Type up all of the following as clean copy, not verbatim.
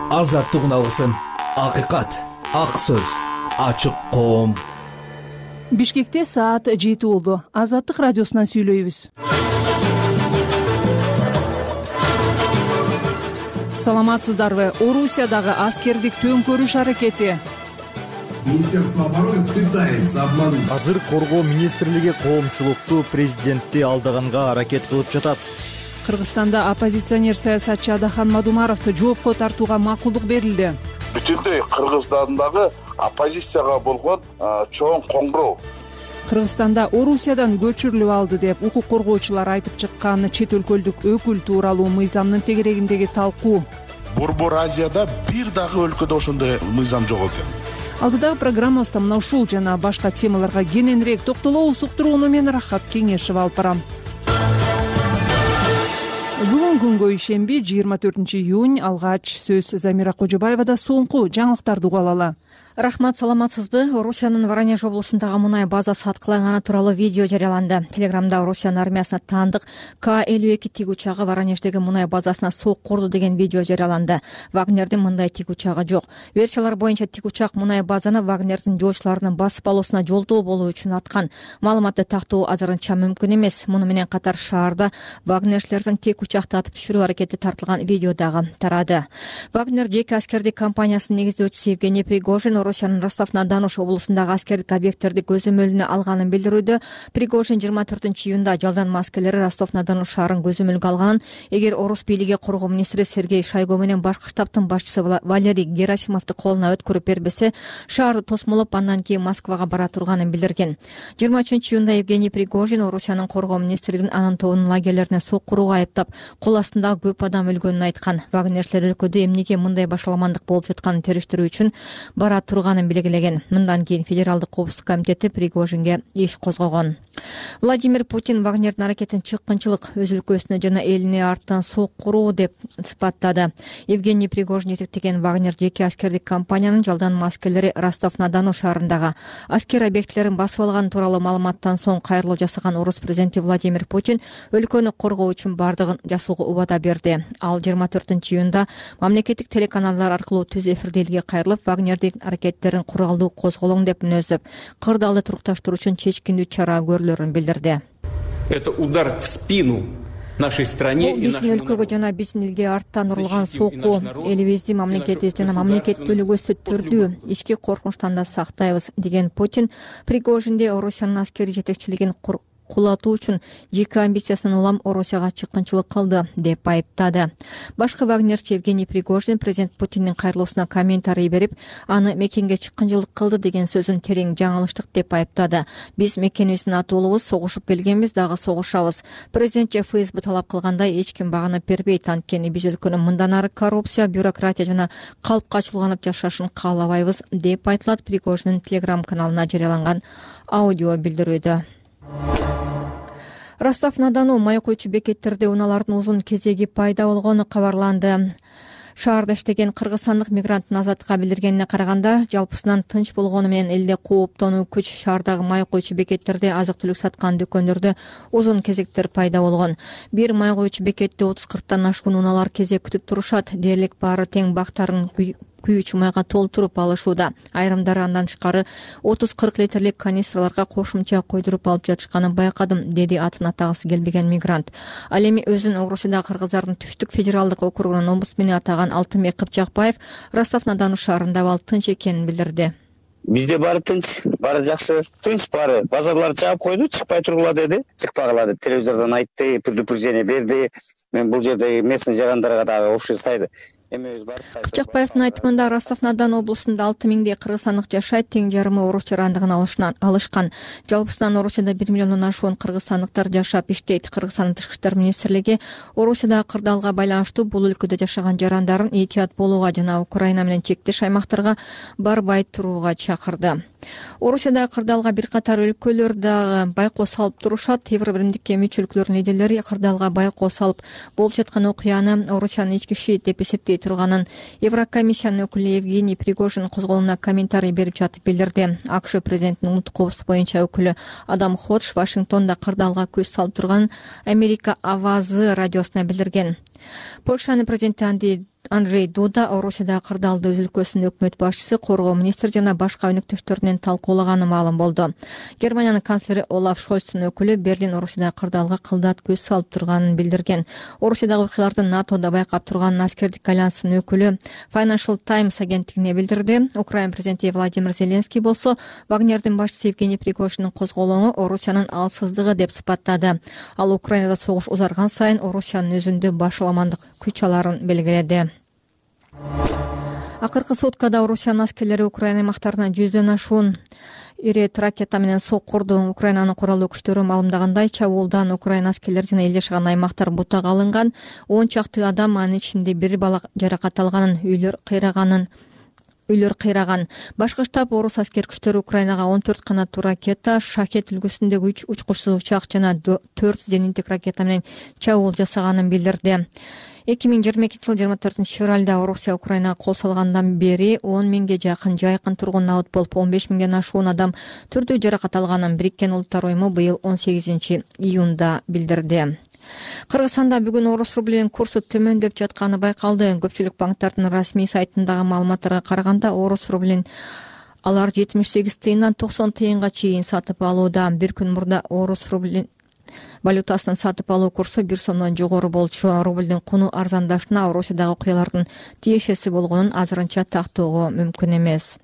Азаттык алгысын, акыйкат, ак сөз, ачык коом. Бишкекте саат 7 болду. Азаттык радиосунан сүйлөйбүз. Саламатсыздарбы? Орусиядагы аскердик төңкөрүш аракети. Министерство обороны пытается обмануть. Азыр коргоо министрлиги коомчулукту президентти алдаганга аракет кылып жатат. Кыргызстанда оппозиционер саясатчы Адахан Мадумаровду жоопко тартууга макулдук берилди. Бүтүндөй Кыргызстандагы оппозицияга болгон чоң коңгуроо. Кыргызстанда Орусиядан көчүрүлүп алды деп укук коргоочулар айтып чыккан чет өлкөлүк өкүл тууралуу мыйзамдын тегерегиндеги талкуу. Борбор Азияда бир дагы өлкөдө ошондой мыйзам жок экен. Алдыдагы программабызда мына ушул жана башка темаларга кененирээк токтолобуз. Уктурууну мен Рахат Кеңешева алып барам. Бүгүн күнгө ишемби 24 июнь. Алгач сөз Замира Кожобаевада. Соңку жаңылыктарды угуп алалы. Рахмат, саламатсызбы? Орусиянын Воронеж облусундагы мунай базасы аткыланганы тууралуу видео жарыяланды. Телеграмда Орусиянын армиясына таандык К-52 тик учагы Воронеждеги мунай базасына сок курду деген видео жарыяланды. Вагнердин мындай тик учагы жок. Версиялар боюнча тик учак мунай базаны Вагнердин жоочуларынын басып алуусуна жолдоо болуу үчүн аткан. Маалыматты тактоо азырынча мүмкүн эмес. Муну менен катар шаарда вагнерчилердин тик учакты атып түшүрүү аракети тартылган видео дагы тарады. Вагнер жеке аскердик компаниясынын негиздөөчүсү Евгений Пригожин Орусиянын Ростов-на-Дону облусундагы аскердик объекттерди көзөмөлүнө алганын билдирүүдө. Пригожин 24 июнда жалданма аскерлери Ростов-на-Дону шаарын көзөмөлгө алганын, эгер орус бийлиги коргоо министри Сергей Шойгу менен башкы штабтын башчысы Валерий Герасимовду колуна өткөрүп бербесе, шаарды тосмолоп андан кийин Москвага бара турганын билдирген. 23 июнда Евгений Пригожин Орусиянын коргоо министрин анын тобунун лагерлерине сок курууга айыптап, кол астындагы көп адам өлгөнүн айткан. Вагнерчилер өлкөдө эмнеге мындай башаламандык болуп жатканын териштирүү үчүн бара турганын белгилеген. Мындан кийин Федералдык коопсуздук комитети Пригожинге иш козгогон. Владимир Путин Вагнердин аракетин чыккынчылык, өз өлкөсүнө жана элине арттан сок куруу деп сыпаттады. Евгений Пригожин жетектеген Вагнер жеке аскердик компаниянын жалданма аскерлери Ростов-на-Дону шаарындагы аскер объектилерин басып алган тууралуу маалыматтан соң кайрылуу жасаган орус президенти Владимир Путин өлкөнү коргоо үчүн бардыгын жасоого убада берди. Ал 24 июнда мамлекеттик телеканалдар аркылуу түз эфирде элге кайрылып, Вагнердин аракеттерин куралдуу козголоң деп мүнөздөп, кырдаалды турукташтыруу үчүн чечкиндүү чара көрүлөрүн билдирди. Это удар в спину нашей стране. Бул биздин өлкөгө жана биздин элге арттан урулган сокку, элибизди, мамлекетибизди жана мамлекеттүүлүгүбүздү түрдүү ички коркунучтан да сактайбыз деген Путин Пригожинде Орусиянын аскери жетекчилигин кулатуу үчүн жеке амбициясынан улам Орусияга чыккынчылык кылды деп айыптады. Башкы вагнерчи Евгений Пригожин президент Путиндин кайрылуусуна комментарий берип, аны мекенге чыккынчылык кылды деген сөзүн терең жаңылыштык деп айыптады. Биз мекенибиздин атуулубуз, согушуп келгенбиз, дагы согушабыз. Президент ФСБ талап кылгандай эч ким багынып бербейт, анткени биз өлкөнүн мындан ары коррупция, бюрократия жана калпка чулганып жашашын каалабайбыз деп айтылат Пригожиндин Telegram каналына жарыяланган аудио билдирүүдө. Ростов-на-Дону май куючу бекеттерде унаалардын узун кезеги пайда болгону кабарланды. Шаарда иштеген кыргызстандык мигранттын Азаттыкка билдиргенине караганда, жалпысынан тынч болгону менен элде кооптонуу күч, шаардагы май куючу бекеттерде азык-түлүк саткан дүкөндөрдө узун кезектер пайда болгон. Бир май куючу бекетте 30-40тан ашкан унаалар кезек күтүп турушат. Дээрлик баары тең бактарын күйүүчү майга толтуруп алышууда. Айрымдары андан тышкары 30-40 литрлик канистраларга кошумча койдуруп алып жатышканын байкадым, деди атын атагысы келбеген мигрант. Ал эми өзүн Орусияда кыргыздардын Түштүк федералдык округунун омбудсмени атаган Алтынбек Кыпчакбаев Ростов-на-Дону шаарында ал тынч экенин билдирди. Бизде баары тынч, баары жакшы, тынч баары. Базарлар жаап койду, чыкпай тургула деди. Чыкпагыла деп телевизордон айтты, предупреждение берди. Мен бул жерде местный жарандарга дагы общий сайды. Кыпчакбаевдин айтымында Ростов-на-Дону облусунда 6000дей кыргызстандык жашайт, тең жарымы орус жарандыгын алышкан. Жалпысынан Орусияда 1 миллиондон ашуун кыргызстандыктар жашап иштейт. Кыргызстандын тышкы иштер министрлиги Орусияда кырдаалга байланыштуу бул өлкөдө жашаган жарандарын этият болууга жана Украина менен чектеш аймактарга барбай турууга чакырды. Орусияда кырдаалга бир катар өлкөлөр дагы байкоо салып турушат. Евробиримдикке мүчө өлкөлөрдүн лидерлери кырдаалга байкоо салып болуп жаткан окуяны Орусиянын ички иши деп эсептей турганын Еврокомиссиянын өкүлү Евгений Пригожин козголуна комментарий берип жатып билдирди. АКШ президентинин улуттук коопсуздук боюнча өкүлү Адам Ходж Вашингтонда кырдаалга көз салып турганын Америка Авазы радиосуна билдирген. Польшанын президенти Андрей Дуда Орусияда кырдаалды өз өлкөсүнүн өкмөт башчысы, коргоо министри жана башка өнөктөштөр менен талкуулаганы маалым болду. Германиянын канцлери Олаф Шольцтун өкүлү Берлин Орусияда кырдаалга кылдат көз салып турганын билдирген. Орусиядагы окуяларды НАТОда байкап турганын аскердик альянстын өкүлү Financial Times агенттигине билдирди. Украина президенти Владимир Зеленский болсо Вагнердин башчысы Евгений Пригожиндин козголоңу Орусиянын алсыздыгы деп сыпаттады. Ал Украинада согуш узарган сайын Орусиянын өзүндө башаламандык күч аларын белгиледи. Акыркы суткада Орусиянын аскерлери Украина аймактарына 100дөн ашуун ири ракета менен соккурду. Украинанын куралдуу күчтөрү маалымдагандай, чабуулдан Украина аскерлери жана эл жашаган аймактар бутага алынган. 10 чакты адам, анын ичинде 1 бала жаракат алганын, үйлөр кыйраган. Башкы штаб орус аскер күчтөрү Украинага 14 канаттуу ракета, Шахет үлгүсүндөгү 3 учкучсуз учак жана 4 зениттик ракета менен чабуул жасаганын билдирди. 2022 жыл 24-февралда Орусия Украинага кол салгандан бери 10 миңге жакын жайкын тургун абыт болуп, 15 миңден ашуун адам түрдүү жаракат алганын Бириккен Улуттар уюму быйыл 18-июнда билдирди. Кыргызстанда бүгүн орус рублинин курсу төмөндөп жатканы байкалды. Көпчүлүк банктардын расмий сайтындагы маалыматтарга караганда, орус рублин алар 78 тыйындан 90 тыйынга чейин сатып алууда. Бир күн мурда орус рублин валютасынын сатып алуу курсу 1 сомдон жогору болчу. Рублдин куну арзандашына Орусиядагы окуялардын тиешеси болгонун азырынча тактоого мүмкүн эмес.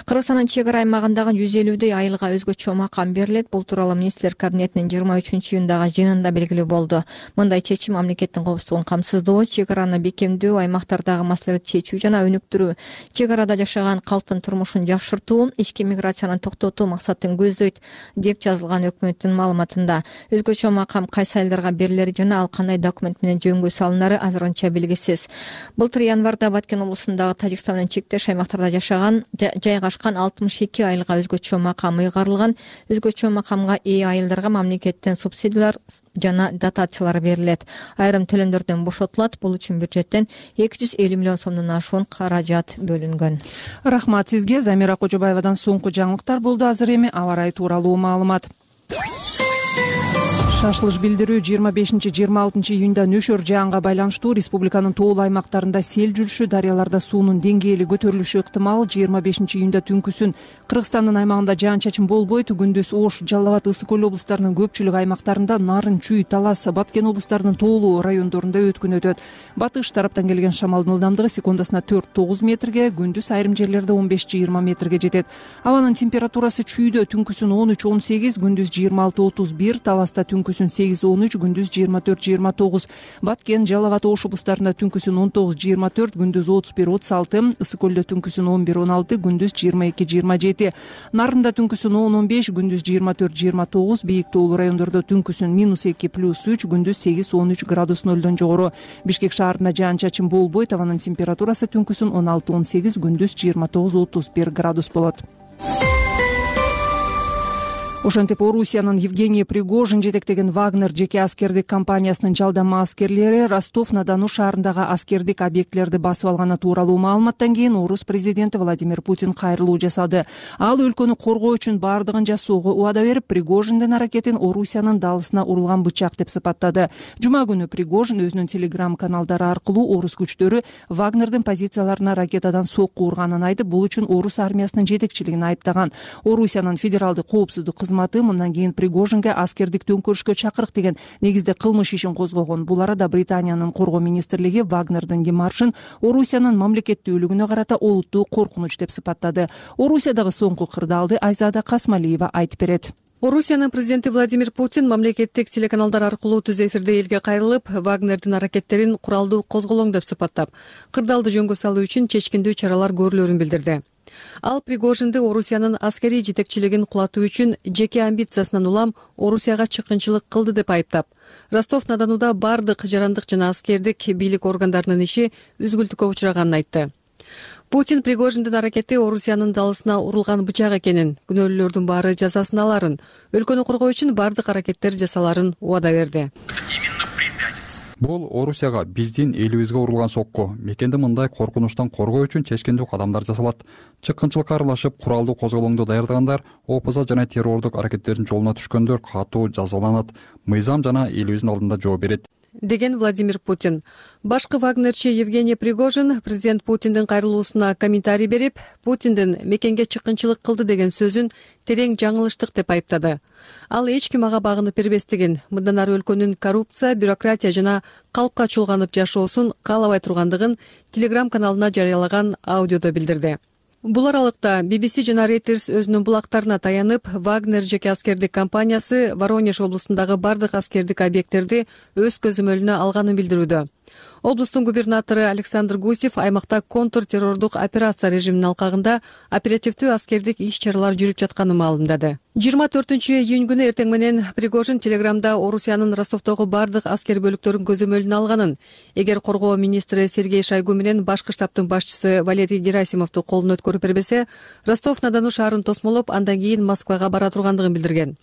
Кыргызстандын чек ара аймагындагы 150 айылга өзгөчө макам берилет. Бул тууралуу министрлер кабинетинин 23-июндагы жыйынында белгилүү болду. Мындай чечим мамлекеттин коопсуздугун камсыздоо, чек араны бекемдөө, аймактардагы маселелерди чечүү жана өнүктүрүү, чек арада жашаган калктын турмушун жакшыртуу, ички миграцияны токтотуу максатын көздөйт деп жазылган өкмөттүн маалыматында. Өзгөчө макам кайсы айылдарга берилери жана ал кандай документ менен жөнгө салынары азырынча белгисиз. Былтыр январда Баткен облусундагы Тажикстан менен чектеш аймактарда жайгашкан 62 айылга өзгөчө макам ыйгарылган. Өзгөчө макамга ээ айылдарга мамлекеттен субсидиялар жана дотациялар берилет. Айрым төлөмдөрдөн бошотулат. Бул үчүн бюджеттен 250 миллион сомдон ашуун каражат бөлүнгөн. Рахмат сизге. Замира Кожобаевадан соңку жаңылыктар болду. Азыр эми аба ырайы тууралуу маалымат. Шашылыш билдирүү 25-26 июнда нөшөр жаанга байланыштуу республиканын тоолуу аймактарында сел жүрүшү, дарыяларда суунун деңгээли көтөрүлүшү ыктымал. 25 июнда түнкүсүн Кыргызстандын аймагында жаан-чачын болбойт. Күндүз Ош, Жалал Абад, Ысык Көл облустарынын көпчүлүк аймактарында, Нарын, Чүй, Талас, Баткен облустарынын тоолуу райондорунда өткүн өтөт. Батыш тараптан келген шамалдын ылдамдыгы секундасына 4-9 метрге, күндүз айрым жерлерде 15-20 метрге жетет. Абанын температурасы Чүйдө түнкүсүн 13-18, күндүз 26-31, Таласта түнкүсүн 8-13, күндүз 24-29, Баткен, Жалал Абад, Ош облустарында түнкүсүн 19-24, күндүз 31-36, Ысык Көлдө түнкүсүн 11-16, күндүз 22-27, Нарында түнкүсүн 10-15, күндүз 24-29, бийик тоолуу райондордо түнкүсүн -2 + 3, күндүз 8-13 градус нөлдөн жогору. Бишкек шаарында жаан-чачын болбойт. Абанын температурасы түнкүсүн 16-18, күндүз 29-31 градус болот. Ошентип Орусиянын Евгений Пригожин жетектеген Вагнер жеке аскердик компаниясынын жалдама аскерлери Ростов-на-Дону шаарындагы аскердик объектилерди басып алганы тууралуу маалыматтан кийин орус президенти Владимир Путин кайрылуу жасады. Ал өлкөнү коргоо үчүн бардыгын жасоого убада берип, Пригожиндин аракетин Орусиянын далысына урулган бычак деп сыпаттады. Жума күнү Пригожин өзүнүн телеграм каналдары аркылуу орус күчтөрү Вагнердин позицияларына ракетадан сокку урганын айтып, бул үчүн орус армиясынын жетекчилигин айыптаган. Орусиянын федералдык коопсуздук мындан кийин Пригожинге аскердик төңкөрүшкө чакырык деген негизде кылмыш ишин козгогон. Бул арада Британиянын коргоо министрлиги Вагнердин демаршын Орусиянын мамлекеттүүлүгүнө карата олуттуу коркунуч деп сыпаттады. Орусиядагы соңку кырдаалды Айзада Касмалиева айтып берет. Орусиянын президенти Владимир Путин мамлекеттик телеканалдар аркылуу түз эфирде элге кайрылып, Вагнердин аракеттерин куралдуу козголоң деп сыпаттап, кырдаалды жөнгө салуу үчүн чечкиндүү чаралар көрүлөрүн билдирди. Ал Пригожинди Орусиянын аскерий жетекчилигин кулатуу үчүн жеке амбициясынан улам Орусияга чыккынчылык кылды деп айыптап, Ростов-на-Донуда бардык жарандык жана аскердик бийлик органдарынын иши үзгүлтүккө учраганын айтты. Путин Пригожиндин аракети Орусиянын далысына урулган бычак экенин, күнөөлүүлөрдүн баары жазасын аларын, өлкөнү коргоо үчүн бардык аракеттер жасаларын убада берди. Бул Орусияга биздин элибизге урулган сокку. Мекенди мындай коркунучтан коргоо үчүн чечкиндүү кадамдар жасалат. Чыккынчылыкка аралашып, куралдуу козголоңду даярдагандар, опуза жана террордук аракеттердин жолуна түшкөндөр катуу жазаланат. Мыйзам жана элибиздин алдында жооп берет. деген Владимир Путин. Башкы вагнерчи Евгений Пригожин президент Путиндин кайрылуусуна комментарий берип, Путиндин мекенге чыккынчылык кылды деген сөзүн терең жаңылыштык деп айыптады. Ал эч ким ага багынып бербестигин, мындан ары өлкөнүн коррупция, бюрократия жана калпка чулганып жашоосун каалабай тургандыгын Telegram каналына жарыялаган аудиодо билдирди. Бул аралыкта BBC жана Reuters өзүнүн булактарына таянып, Вагнер жеке аскердик компаниясы Воронеж облусундагы бардык аскердик объекттерди өз көзөмөлүнө алганын билдирүүдө. Облустун губернатору Александр Гусев аймакта контртеррордук операция режиминин алкагында оперативдүү аскердик иш-чаралар жүрүп жатканын маалымдады. 24-июнь күнү эртең менен Пригожин Телеграмда Орусиянын Ростовдогу бардык аскер бөлүктөрүн көзөмөлүнө алганын, эгер коргоо министри Сергей Шойгу менен башкы штабтын башчысы Валерий Герасимовду колун өткөрүп бербесе, Ростов-на-Дону шаарын тосмолоп, андан кийин Москвага бара тургандыгын билдирген.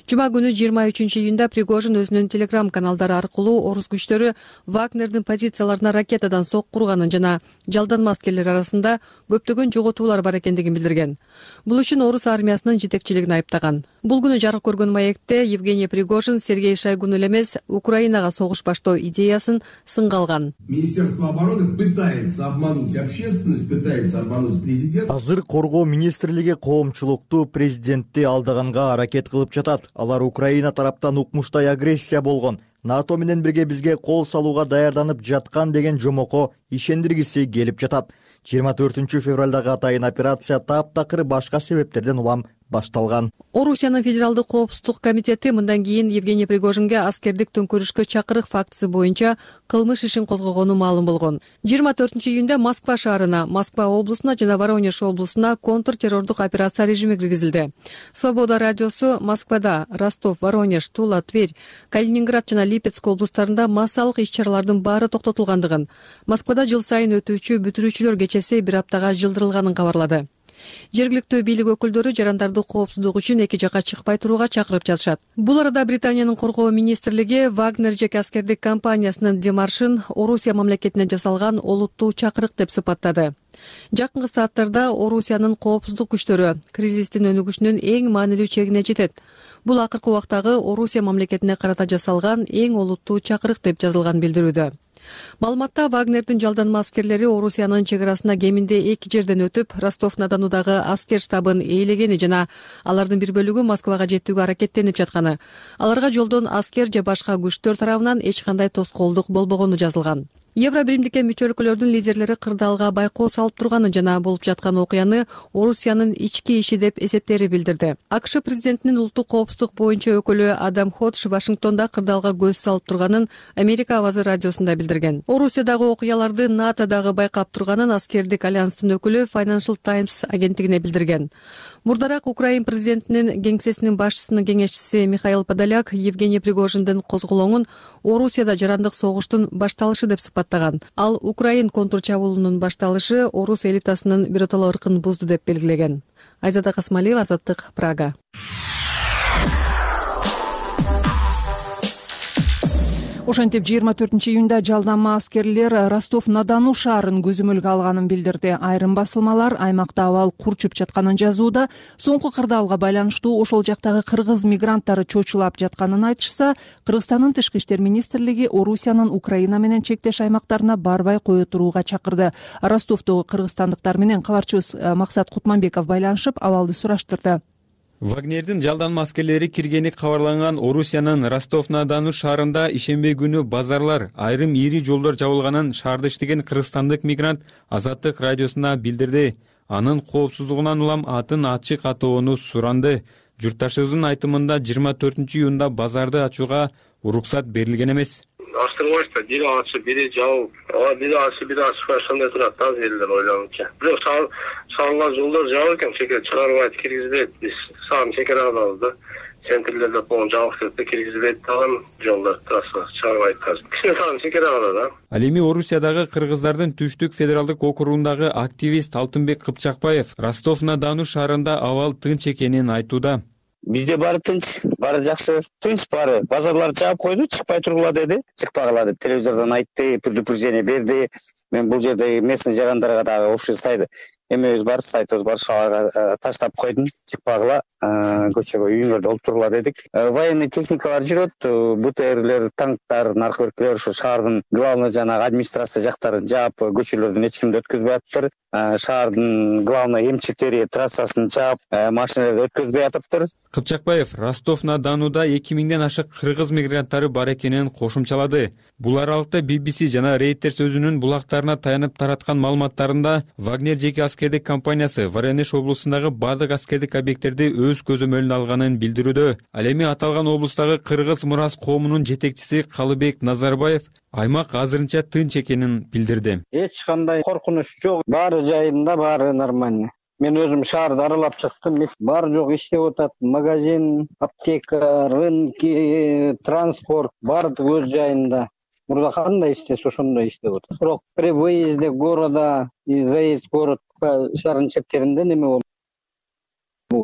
Жума күнү 23-июнда Пригожин өзүнүн Telegram каналдары аркылуу орус күчтөрү Вагнердин позицияларына ракетадан сокку урганын жана жалданма аскерлер арасында көптөгөн жоготуулар бар экендигин билдирген. Бул үчүн орус армиясынын жетекчилигин айыптаган. Бул күнү жарык көргөн маекте Евгений Пригожин Сергей Шойгуну эле эмес, Украинага согуш баштоо идеясын сынга алган. Министерство обороны пытается обмануть общественность, пытается обмануть президента. Азыр коргоо министрлиги коомчулукту президентти алдаганга аракет кылып жатат. Алар Украина тараптан укмуштай агрессия болгон, НАТО менен бирге бизге кол салууга даярданып жаткан деген жомоко ишендиргиси келип жатат. 24 февралдагы атайын операция таптакыр башка себептерден улам башталган. Орусиянын Федералдык коопсуздук комитети мындан кийин Евгений Пригожинге аскердик төңкөрүшкө чакырык фактысы боюнча кылмыш ишин козгогону маалым болгон. 24-июнда Москва шаарына, Москва облусуна жана Воронеж облусуна контртеррордук операция режими киргизилди. Свобода радиосу Москвада, Ростов, Воронеж, Тула, Тверь, Калининград жана Липецк облустарында массалык иш-чаралардын баары токтотулгандыгын, Москвада жыл сайын өтүүчү бүтүрүүчүлөр кечеси бир аптага жылдырылганын кабарлады. Жергиликтүү бийлик өкүлдөрү жарандарды коопсуздук үчүн эки жакка чыкпай турууга чакырып жатышат. Бул арада Британиянын коргоо министрлиги Вагнер жеке аскердик компаниясынын демаршын Орусия мамлекетине жасалган олуттуу чакырык деп сыпаттады. Жакынкы сааттарда Орусиянын коопсуздук күчтөрү кризистин өнүгүшүнүн эң маанилүү чегине жетет. Бул акыркы убактагы Орусия мамлекетине карата жасалган эң олуттуу чакырык деп жазылган билдирүүдө. Маалыматта Вагнердин жалданма аскерлери Орусиянын чек арасына кеминде 2 жерден өтүп, Ростов-на-Донудагы аскер штабын ээлегени жана алардын бир бөлүгү Москвага жетүүгө аракеттенип жатканы, аларга жолдон аскер же башка күчтөр тарабынан эч кандай тоскоолдук болбогону жазылган. Евробиримдикке мүчө өлкөлөрдүн лидерлери кырдаалга байкоо салып турганын жана болуп жаткан окуяны Орусиянын ички иши деп эсептери билдирди. АКШ президентинин улуттук коопсуздук боюнча өкүлү Адам Ходж Вашингтонда кырдаалга көз салып турганын Америка авазы радиосунда билдирген. Орусиядагы окуяларды НАТО дагы байкап турганын аскердик альянстын өкүлү Financial Times агенттигине билдирген. Мурдараак Украин президентинин кеңсесинин башчысынын кеңешчиси Михаил Подоляк Евгений Пригожиндин козголоңун Орусияда жарандык согуштун башталышы деп сыпаттаган. Ал Украин контрчабуулунун башталышы орус элитасынын биротоло ыркын бузду деп белгилеген. Айзада Касмалиева, Азаттык, Прага. Ошентип 24-июнда жалданма аскерлер Ростов-на-Дону шаарын көзөмөлгө алганын билдирди. Айрым басылмалар аймакта абал курчуп жатканын жазууда. Соңку кырдаалга байланыштуу ошол жактагы кыргыз мигранттары чочулап жатканын айтышса, Кыргызстандын тышкы иштер министрлиги Орусиянын Украина менен чектеш аймактарына барбай кое турууга чакырды. Ростовдогу кыргызстандыктар менен кабарчыбыз Максат Кутманбеков байланышып, абалды сураштырды. Вагнердин жалданма аскерлери киргени кабарланган Орусиянын Ростов-на-Дону шаарында ишемби күнү базарлар, айрым ири жолдор жабылганын шаарда иштеген кыргызстандык мигрант Азаттык радиосуна билдирди. Анын коопсуздугунан улам атын ачык атоону суранды. Журтташыбыздын айтымында 24-июнда базарды ачууга уруксат берилген эмес. Астырбайбызда бири ачып, бири жабып, бири ачып, бири ачпай ошондой турат да элдер ойлонучу. Бирок салынган жолдор жабык экен, чекер чыгарбайт, киргизбейт. Биз саам чекер алабыз да. Центрлерде болгон жабык деп киргизбейт дагы жолдор трасса чыгарбайт азыр. Кичине саам чекер алат да. Ал эми Орусиядагы кыргыздардын Түштүк федералдык округундагы активист Алтынбек Кыпчакбаев Ростов-на-Дону шаарында абал тынч экенин айтууда. Бизде баары тынч, баары жакшы, тынч баары. Базарларды жаап койду, чыкпай тургула деди. Чыкпагыла деп телевизордон айтты, предупреждение берди. Мен бул жерде местный жарандарга дагы общий сайды эмебиз бар, сайтыбыз бар, шалайга таштап койдум, чыкпагыла, көчөгө үйүңөрдө олтурула дедик. Военный техникалар жүрөт, БТРлер, танктар, наркотикалер ушу шаардын главный жанагы администрация жактарын жаап, көчөлөрдөн эч кимди өткөзбөй атыптыр. Шаардын главный М4 трассасын жаап, машиналарды өткөзбөй атыптыр. Кыпчакбаев Ростов-на-Донуда 2000ден ашык кыргыз мигранттары бар экенин кошумчалады. Бул аралыкта BBC жана Reuters өзүнүн булактарына таянып тараткан маалыматтарында Вагнер жеке аскердик компаниясы Воронеж облусундагы бардык аскердик объекттерди өз көзөмөлүнө алганын билдирүүдө. Ал эми аталган облустагы кыргыз мурас коомунун жетекчиси Калыбек Назарбаев аймак азырынча тынч экенин билдирди. Эч кандай коркунуч жок, баары жайында, баары нормально. Мен өзүм шаарды аралап чыктым. Бар жок иштеп атат. Магазин, аптека, рынки, транспорт баардыгы өз жайында. Мурда кандай иштесе ошондой иштеп атат. Бирок при выезде города и заезд город шаардын чектеринде неме болду.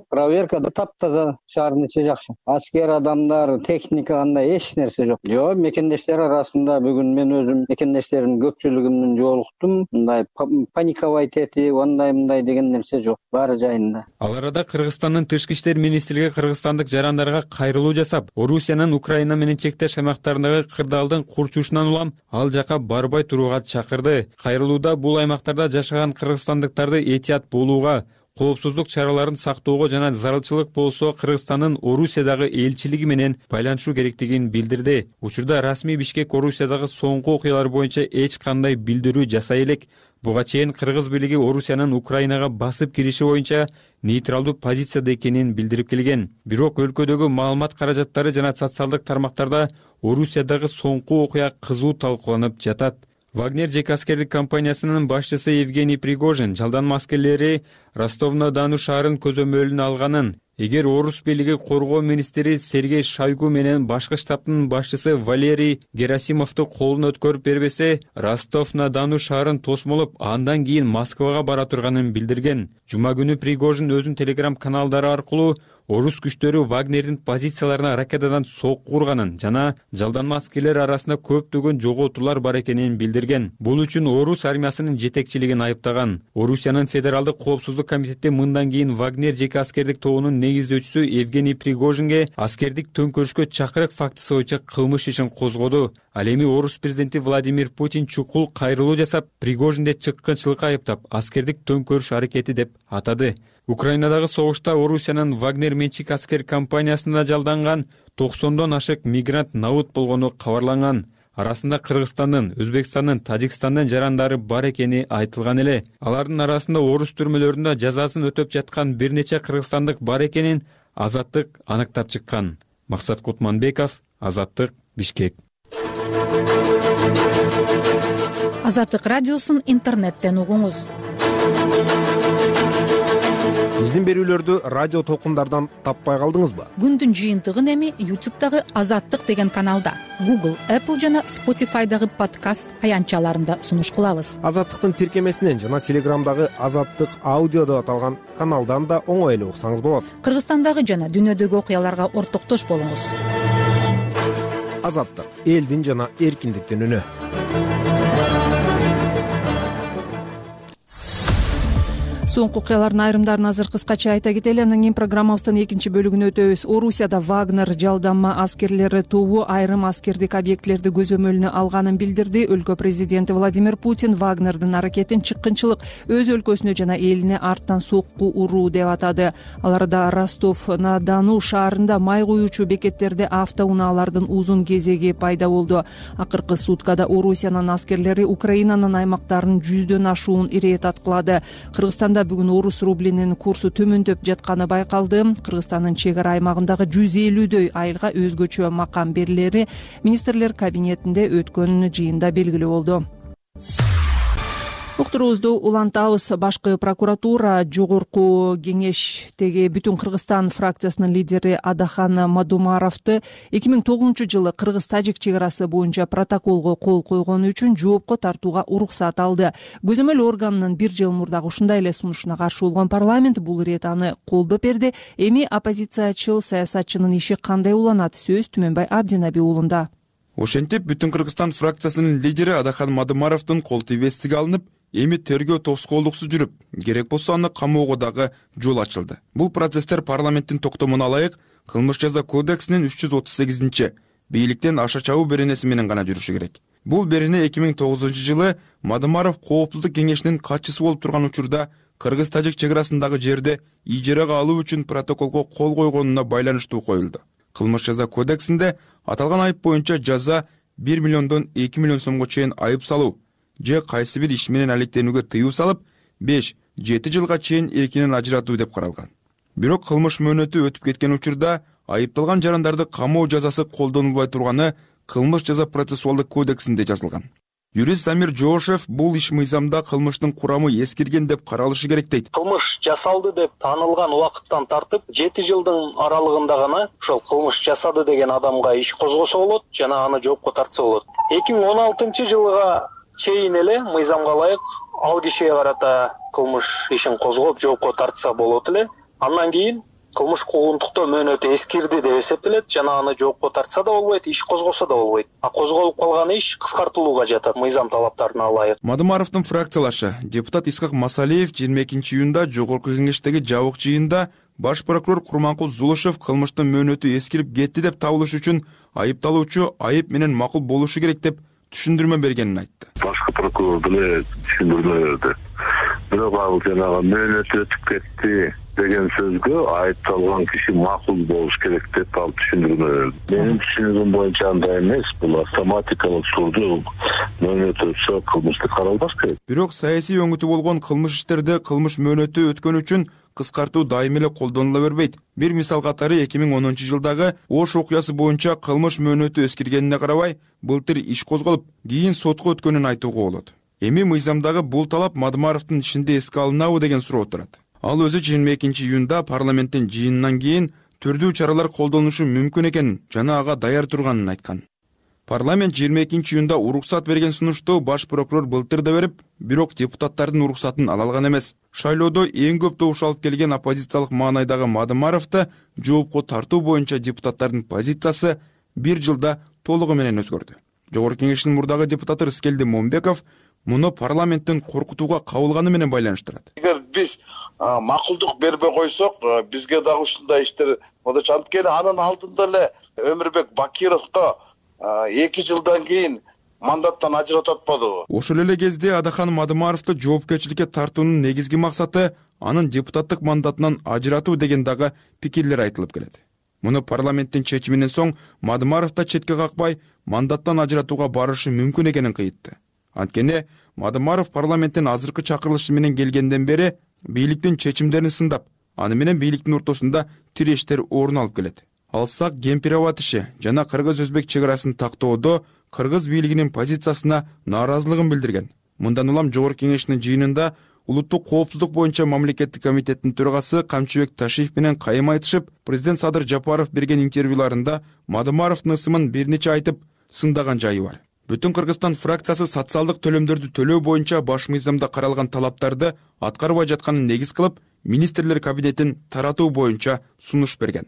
Проверка да таптаза, шаардын ичи жакшы. Аскер адамдар, техника кандай эч нерсе жок. Жок, мекендештер арасында бүгүн мен өзүм мекендештеримдин көпчүлүгү жолуктум. Мындай паниковать этип, андай деген нерсе жок. Баары жайында. Ал арада Кыргызстандын тышкы иштер министрлиги кыргызстандык жарандарга кайрылуу жасап, Орусиянын Украина менен чектеш аймактарындагы кырдаалдын курчушунан улам ал жака барбай турууга чакырды. Кайрылууда бул аймактарда жашаган кыргызстандыктарды этият болууга, коопсуздук чараларын сактоого жана зарылчылык болсо Кыргызстандын Орусиядагы элчилиги менен байланышуу керектигин билдирди. Учурда расмий Бишкек Орусиядагы соңку окуялар боюнча эч кандай билдирүү жасай элек. Буга чейин Кыргыз бийлиги Орусиянын Украинага басып кириши боюнча нейтралдуу позицияда экенин билдирип келген. Бирок өлкөдөгү маалымат каражаттары жана социалдык тармактарда Орусиядагы соңку окуя кызуу талкууланып жатат. Вагнер жеке аскердик компаниясынын башчысы Евгений Пригожин жалданма аскерлери Ростов-на-Дону шаарын көзөмөлүнө алганын, эгер орус бийлиги коргоо министри Сергей Шойгу менен башкы штабтын башчысы Валерий Герасимовду колуна өткөрүп бербесе, Ростов-на-Дону шаарын тосмолоп, андан кийин Москвага бара турганын билдирген. Жума күнү Пригожин өзүнүн телеграм каналдары аркылуу орус күчтөрү Вагнердин позицияларына ракетадан сокку урганын жана жалданма аскерлер арасында көптөгөн жоготуулар бар экенин билдирген. Бул үчүн орус армиясынын жетекчилигин айыптаган. Орусиянын федералдык коопсуздук комитети мындан кийин Вагнер жеке аскердик тобунун негиздөөчүсү Евгений Пригожинге аскердик төңкөрүшкө чакырык фактысы боюнча кылмыш ишин козгоду. Ал эми орус президенти Владимир Путин чукул кайрылуу жасап, Пригожинди чыккынчылыкка айыптап, аскердик төңкөрүш аракети деп атады. Украинадагы согушта Орусиянын Вагнер менчик аскер компаниясына жалданган 90дон ашык мигрант набыт болгону кабарланган. Арасында Кыргызстандын, Өзбекстандын, Тажикстандын жарандары бар экени айтылган эле. Алардын арасында орус түрмөлөрүндө жазасын өтөп жаткан бир нече кыргызстандык бар экенин Азаттык аныктап чыккан. Максат Кутманбеков, Азаттык, Бишкек. Азаттык радиосун интернеттен угуңуз. Биздин берүүлөрдү радио толкундардан таппай калдыңызбы? Күндүн жыйынтыгын эми YouTube'дагы Азаттык деген каналда, Google, Apple жана Spotify'дагы подкаст аянтчаларында сунуш кылабыз. Азаттыктын тиркемесинен жана Телеграмдагы Азаттык аудио деп аталган каналдан да оңой эле уксаңыз болот. Кыргызстандагы жана дүйнөдөгү окуяларга ортоктош болуңуз. Азаттык — элдин жана эркиндиктин үнү. Соңку окуялардын айрымдарын азыр кыскача айта кетели. Андан кийин программабыздын экинчи бөлүгүнө өтөбүз. Орусияда Вагнер жалданма аскерлери тобу айрым аскердик объектилерди көзөмөлүнө алганын билдирди. Өлкө президенти Владимир Путин Вагнердин аракетин чыккынчылык, өз өлкөсүнө жана элине арттан сокку уруу деп атады. Ал арада Ростов-на-Дону шаарында май куюучу бекеттерде автоунаалардын узун кезеги пайда болду. Акыркы суткада Орусиянын аскерлери Украинанын аймактарынын 100дөн ашуун ирет аткылады. Кыргызстанда бүгүн орус рублинин курсу төмөндөп жатканы байкалды. Кыргызстандын чек ара аймагындагы 150дөй айылга өзгөчө макам берилери министрлер кабинетинде өткөн жыйында белгилүү болду. Уктуруубузду улантабыз. Башкы прокуратура жогорку кеңештеги Бүтүн Кыргызстан фракциясынын лидери Адахан Мадумаровду 2009-жылы Кыргыз-Тажик чек арасы боюнча протоколго кол койгону үчүн жоопко тартууга уруксат алды. Көзөмөл органынын бир жыл мурдагы ушундай эле сунушуна каршы болгон парламент бул ирет аны колдоп берди. Эми оппозициячыл саясатчынын иши кандай уланат? Сөз Түмөнбай Абдинаби уулунда. Ошентип Бүтүн Кыргызстан фракциясынын лидери Адахан Мадумаровдун кол тийбестиги алынып, эми тергөө тоскоолдуксуз жүрүп, керек болсо аны камоого дагы жол ачылды. Бул процесстер парламенттин токтомуна ылайык кылмыш жаза кодексинин 338 бийликтен аша чабуу беренеси менен гана жүрүшү керек. Бул берене 2009 жылы Мадымаров коопсуздук кеңешинин катчысы болуп турган учурда кыргыз-тажик чек арасындагы жерди ижарага алуу үчүн протоколго кол койгонуна байланыштуу коюлду. Кылмыш жаза кодексинде аталган айып боюнча жаза 1 миллиондон 2 миллион сомго чейин айып салуу же кайсы бир иш менен алектенүүгө тыюу салып 5-7 жылга чейин эркинен ажыратуу деп каралган. Бирок кылмыш мөөнөтү өтүп кеткен учурда айыпталган жарандарды камоо жазасы колдонулбай турганы кылмыш жаза процессуалдык кодексинде жазылган. Юрист Амир Жоошев бул иш мыйзамда кылмыштын курамы эскирген деп каралышы керек дейт. Кылмыш жасалды деп таанылган убакыттан тартып 7 жылдын аралыгында гана ошол кылмыш жасады деген адамга иш козгосо болот жана аны жоопко тартса болот. 2016 жылга чейин эле мыйзамга ылайык ал кишиге карата кылмыш ишин козгоп жоопко тартса болот эле. Андан кийин кылмыш куугунтуктоо мөөнөтү эскирди деп эсептелет жана аны жоопко тартса да болбойт, иш козгосо да болбойт. Козголуп калган иш кыскартылууга жатат мыйзам талаптарына ылайык. Мадымаровдун фракциялашы депутат Исхак Масалиев 22-июнда жогорку кеңештеги жабык жыйында баш прокурор Курманкул Зулушев кылмыштын мөөнөтү эскирип кетти деп табылыш үчүн айыпталуучу айып менен макул болушу керек деп түшүндүрмө бергенин айтты. Башкы прокурор деле түшүндүрмө берди. Бирок ал жанагы мөөнөтү өтүп кетти деген сөзгө айыпталган киши макул болуш керек деп ал түшүндүрмө берди. Менин түшүнүгүм боюнча андай эмес, бул автоматикалык түрдө мөөнөт өтсө кылмышты каралбаш керек. Бирок саясий өңүтү болгон кылмыш иштерде кылмыш мөөнөтү өткөн үчүн кыскартуу дайым эле колдонула бербейт. Бир мисал катары 2010 жылдагы Ош окуясы боюнча кылмыш мөөнөтү эскиргенине карабай, былтыр иш козголуп, кийин сотко өткөнүн айтууга болот. Эми мыйзамдагы бул талап Мадымаровдун ишинде эске алынабы деген суроо турат. Ал өзү 22-июнда парламенттин жыйынынан кийин түрдүү чаралар колдонушу мүмкүн экенин жана ага даяр турганын айткан. Парламент 22-июнда уруксат берген сунушту баш прокурор былтыр да берип, бирок депутаттардын уруксатын ала алган эмес. Шайлоодо эң көп добуш алып келген оппозициялык маанайдагы Мадымаровду жоопко тартуу боюнча депутаттардын позициясы 1 жылда толугу менен өзгөрдү. Жогорку кеңештин мурдагы депутаты Рыскелди Момбеков муну парламенттин коркутууга кабылганы менен байланыштырат. Эгер биз макулдук бербей койсок, бизге дагы ушундай иштер болот. Анткени анын алдында эле Өмүрбек Бакировго 2 жылдан кийин мандаттан ажыратып атпадыбы? Ошол эле кезде Адахан Мадымаровду жоопкерчиликке тартуунун негизги максаты анын депутаттык мандатынан ажыратуу деген дагы пикирлер айтылып келет. Муну парламенттин чечиминен соң Мадымаров да четке какпай мандаттан ажыратууга барышы мүмкүн экенин кыйтты. Анткени Мадымаров парламенттин азыркы чакырылышы менен келгенден бери бийликтин чечимдерин сындап, аны менен бийликтин ортосунда тирештер орун алып келет. Алсак Кемпирова иши жана кыргыз-өзбек чек арасын тактоодо кыргыз бийлигинин позициясына нааразылыгын билдирген. Мындан улам жогорку кеңештин жыйынында улуттук коопсуздук боюнча мамлекеттик комитеттин төрагасы Камчыбек Ташиев менен кайым айтышып, президент Садыр Жапаров берген интервьюларында Мадымаровдун ысымын бир нече айтып сындаган жайы бар. Бүтүн Кыргызстан фракциясы социалдык төлөмдөрдү төлөө боюнча баш мыйзамда каралган талаптарды аткарбай жатканын негиз кылып, министрлер кабинетин таратуу боюнча сунуш берген.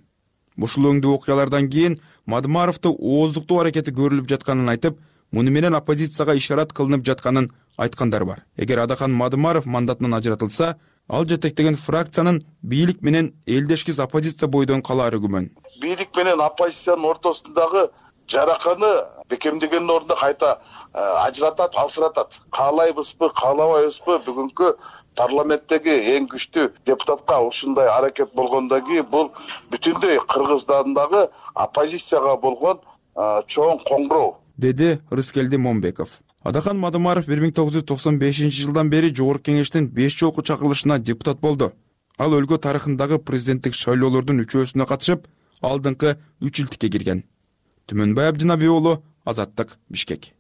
Ушул өңдүү окуялардан кийин Мадымаровду ооздуктоо аракети көрүлүп жатканын айтып, муну менен оппозицияга ишарат кылынып жатканын айткандар бар. Эгер Адахан Мадымаров мандатынан ажыратылса, ал жетектеген фракциянын бийлик менен элдешкиз оппозиция бойдон калаары күмөн. Бийлик менен оппозициянын ортосундагы жараканы бекемдегендин ордуна кайта ажыратат, алсыратат. Каалайбызбы, каалабайбызбы, бүгүнкү парламенттеги эң күчтүү депутатка ушундай аракет болгондон кийин бул бүтүндөй Кыргызстандагы оппозицияга болгон чоң коңгуроо, деди Рыскелди Момбеков. Адахан Мадымаров 1995 жылдан бери жогорку кеңештин 5 жолку чакырылышына депутат болду. Ал өлкө тарыхындагы президенттик шайлоолордун 3-өсүнө катышып, алдыңкы 3 илтикке кирген. Түмөнбай Абдинабий уулу, Азаттык, Бишкек.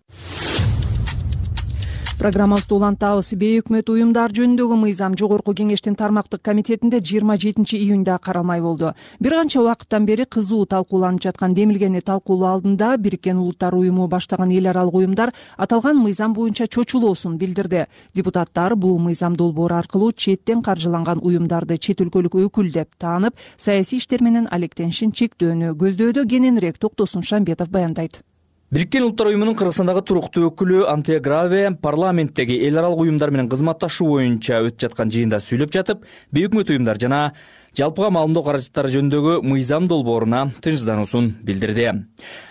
Программабызды улантабыз. Бейөкмөт уюмдар жөнүндөгү мыйзам жогорку кеңештин тармактык комитетинде 27-июнда каралмай болду. Бир канча убакыттан бери кызуу талкууланып жаткан демилгени талкуулоо алдында Бириккен Улуттар уюму баштаган эл аралык уюмдар аталган мыйзам боюнча чочулоосун билдирди. Депутаттар бул мыйзам долбоору аркылуу четтен каржыланган уюмдарды чет өлкөлүк өкүл деп таанып, саясий иштер менен алектенишин чектөөнү көздөөдө. Кененирээк Токтосун Шамбетов баяндайт. Бириккен Улуттар уюмунун Кыргызстандагы туруктуу өкүлү Антия Граве парламенттеги эл аралык уюмдар менен кызматташуу боюнча өтүп жаткан жыйында сүйлөп жатып, бейөкмөт уюмдар жана жалпыга маалымдоо каражаттары жөнүндөгү мыйзам долбооруна тынчсыздануусун билдирди.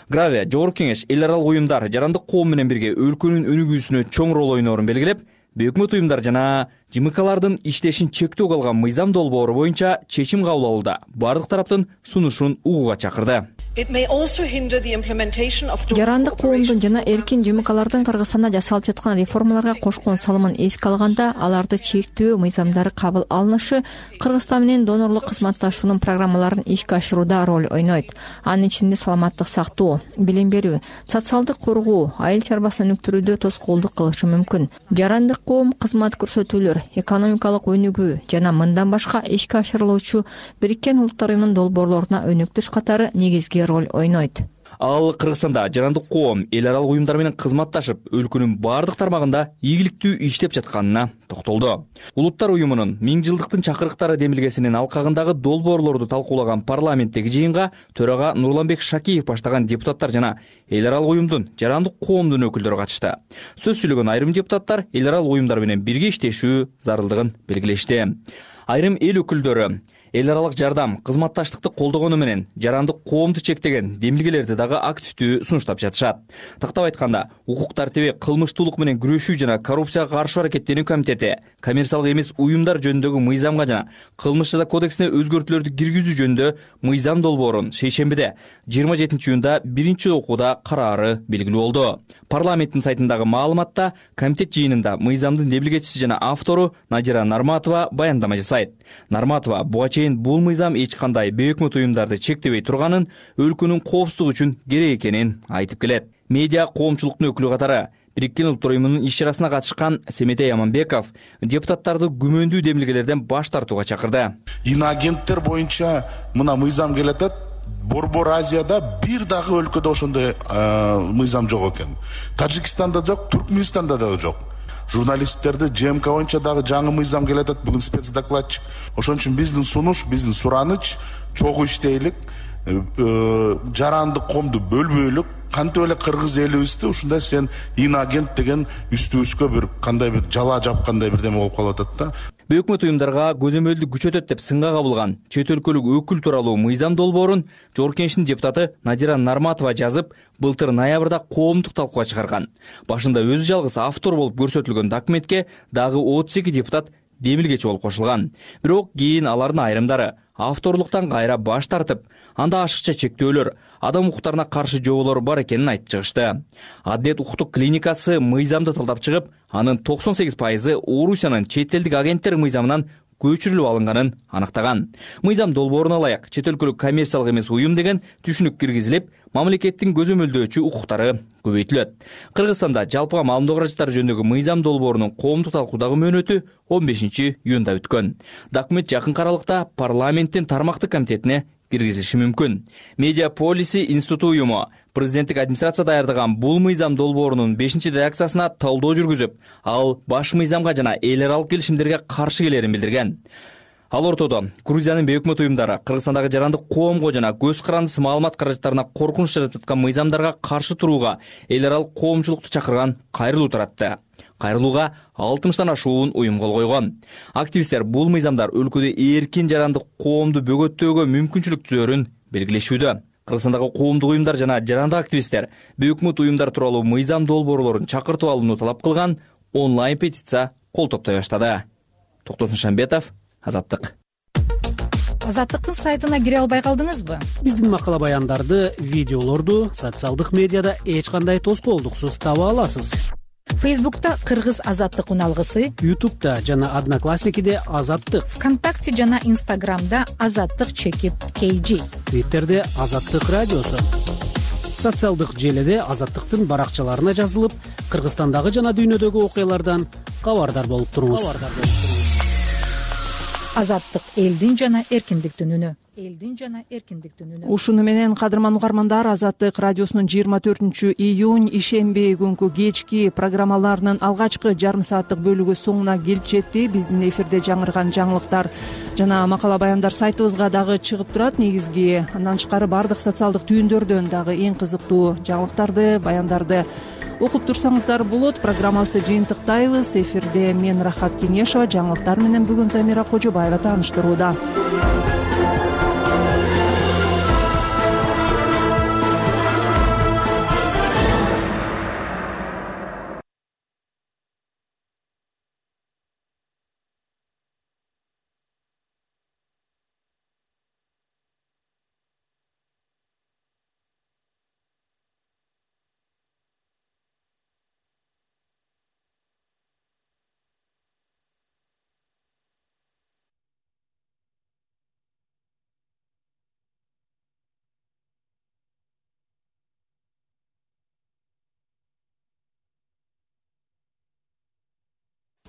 Граве Жогорку Кеңеш эл аралык уюмдар жарандык коом менен бирге өлкөнүн өнүгүүсүнө чоң рол ойноорун белгилеп, бейөкмөт уюмдар жана ЖМКлардын иштешин чектөөгө алган мыйзам долбоору боюнча чечим кабыл алууда бардык тараптын сунушун угууга чакырды. Жарандык коомдун жана эркин ЖМКлардын Кыргызстанда жасалып жаткан реформаларга кошкон салымын эске алганда, аларды чектөө мыйзамдары кабыл алынышы Кыргызстан менен донорлук кызматташуунун программаларын ишке ашырууда роль ойнойт. Анын ичинде саламаттык сактоо, билим берүү, социалдык коргоо, айыл чарбасын өнүктүрүүдө тоскоолдук кылышы мүмкүн. Жарандык коом кызмат көрсөтүүлөр, экономикалык өнүгүү жана мындан башка ишке ашырылуучу Бириккен Улуттар уюмунун долбоорлоруна өнүктүрүш катары негизги роль ойнойт. Ал Кыргызстанда жарандык коом эл аралык уюмдар менен кызматташып, өлкөнүн бардык тармагында ийгиликтүү иштеп жатканына токтолду. Улуттар уюмунун 1000 жылдыктын чакырыктары демилгесинин алкагындагы долбоорлорду талкуулаган парламенттеги жыйынга төрага Нурланбек Шакиев баштаган депутаттар жана эл аралык уюмдун жарандык коомдун өкүлдөрү катышты. Сөз сүйлөгөн айрым депутаттар эл аралык уюмдар менен бирге иштешүү зарылдыгын белгилешти. Айрым эл өкүлдөрү эл аралык жардам, кызматташтыкты колдогону менен жарандык коомду чектеген демилгелерди дагы активдүү сунуштап жатышат. Тактап айтканда, укук тартиби, кылмыштуулук менен күрөшүү жана коррупцияга каршы аракеттенүү комитети коммерциялык эмес уюмдар жөнүндөгү мыйзамга жана кылмыш жаза кодексине өзгөртүүлөрдү киргизүү жөнүндө мыйзам долбоорун шейшембиде 27-июнда биринчи окууда караары белгилүү болду. Парламенттин сайтындагы маалыматта комитет жыйынында мыйзамдын демилгечиси жана автору Надира Нарматова баяндама жасайт. Нарматова буга чейин бул мыйзам эч кандай бейөкмөт уюмдарды чектебей турганын, өлкөнүн коопсуздугу үчүн керек экенин айтып келет. Медиа коомчулуктун өкүлү катары Бириккен Улуттар уюмунун иш-чарасына катышкан Семетей Аманбеков депутаттарды күмөндүү демилгелерден баш тартууга чакырды. Иноагенттер боюнча мына мыйзам келатат. Борбор Азияда бир дагы өлкөдө ошондой мыйзам жок экен. Тажикстанда жок, Туркменистанда дагы жок. Журналисттерди ЖМК боюнча дагы жаңы мыйзам келатат, бүгүн спецдокладчик. Ошон үчүн биздин сунуш, биздин сураныч чогуу иштейлик, жарандык коомду бөлбөйлүк, кантип эле кыргыз элибизди ушундай сен иноагент деген үстүбүзгө бир кандай бир жала жапкандай бирдеме болуп калып атат да. Бейөкмөт уюмдарга көзөмөлдү күчөтөт деп сынга кабылган чет өлкөлүк өкүл тууралуу мыйзам долбоорун Жогорку Кеңештин депутаты Надира Нарматова жазып, былтыр ноябрда коомдук талкууга чыгарган. Башында өзү жалгыз автор болуп көрсөтүлгөн документке дагы 32 депутат демилгечи болуп кошулган. Бирок кийин алардын айрымдары авторлуктан кайра баш тартып, анда ашыкча чектөөлөр, адам укуктарына каршы жоболор бар экенин айтып чыгышты. Адилет укуктук клиникасы мыйзамды талдап чыгып, анын 98% Орусиянын чет элдик агенттер мыйзамынан көчүрүлүп алынганын аныктаган. Мыйзам долбооруна ылайык чет өлкөлүк коммерциялык эмес уюм деген түшүнүк киргизилип, мамлекеттин көзөмөлдөөчү укуктары көбөйтүлөт. Кыргызстанда жалпыга маалымдоо каражаттары жөнүндөгү мыйзам долбоорунун коомдук талкуудагы мөөнөтү 15-июнда өткөн. Документ жакынкы аралыкта парламенттин тармактык комитетине киргизилиши мүмкүн. Медиа Полиси институту уюму президенттик администрация даярдаган бул мыйзам долбоорунун 5-редакциясына талдоо жүргүзүп, ал баш мыйзамга жана эл аралык келишимдерге каршы келерин билдирген. Ал ортодо Грузиянын бейөкмөт уюмдары Кыргызстандагы жарандык коомго жана көз карандысыз маалымат каражаттарына коркунуч жаратып жаткан мыйзамдарга каршы турууга эл аралык коомчулукту чакырган кайрылуу таратты. Кайрылууга 60-тан ашуун уюм кол койгон. Активисттер бул мыйзамдар өлкөдө эркин жарандык коомду бөгөттөөгө мүмкүнчүлүк түзөрүн белгилешүүдө. Кыргызстандагы коомдук уюмдар жана жарандык активисттер бейөкмөт уюмдар тууралуу мыйзам долбоорлорун чакыртып алууну талап кылган онлайн петиция кол топтой баштады. Токтосун Шамбетов, Азаттык. Азаттыктын сайтына кире албай калдыңызбы? Биздин макала баяндарды, видеолорду социалдык медиада эч кандай тоскоолдуксуз таба аласыз. Фейсбукта Кыргыз Азаттык уналгысы, Ютубта жана Одноклассникиде Азаттык, ВКонтакте жана Инстаграмда Азаттык _KG, Твиттерде Азаттык радиосу. Социалдык желеде Азаттыктын баракчаларына жазылып, Кыргызстандагы жана дүйнөдөгү окуялардан кабардар болуп туруңуз. Азаттык элдин жана эркиндиктин үнү. элдин жана эркиндиктин үнү. Ушуну менен кадырман угармандар, Азаттык радиосунун 24-июнь ишемби күнкү кечки программаларынын алгачкы жарым сааттык бөлүгү соңуна келип жетти. Биздин эфирде жаңырган жаңылыктар жана макала баяндар сайтыбызга дагы чыгып турат. Негизги андан тышкары баардык социалдык түйүндөрдөн дагы эң кызыктуу жаңылыктарды, баяндарды окуп турсаңыздар болот. Программабызды жыйынтыктайбыз. Эфирде мен Рахат Кеңешова, жаңылыктар менен бүгүн Замира Кожобаева тааныштырууда.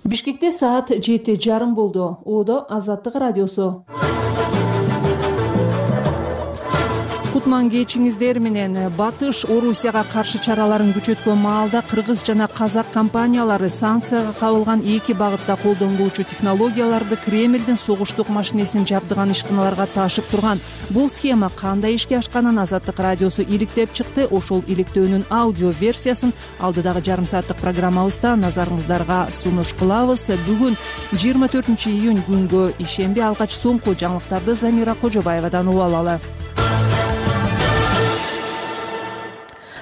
Бишкекте саат 7:30 болду. Оодо Азаттык радиосу. Кутман кечиңиздер менен. Батыш Орусияга каршы чараларын күчөткөн маалда кыргыз жана казак компаниялары санкцияга кабылган эки багытта колдонулуучу технологияларды Кремлдин согуштук машинесин жабдыган ишканаларга ташып турган. Бул схема кандай ишке ашканын Азаттык радиосу иликтеп чыкты. Ошол иликтөөнүн аудио версиясын алдыдагы жарым сааттык программабызда назарыңыздарга сунуш кылабыз. Бүгүн 24-июнь күнгө ишемби алгач соңку жаңылыктарды Замира Кожобаевадан угуп алалы.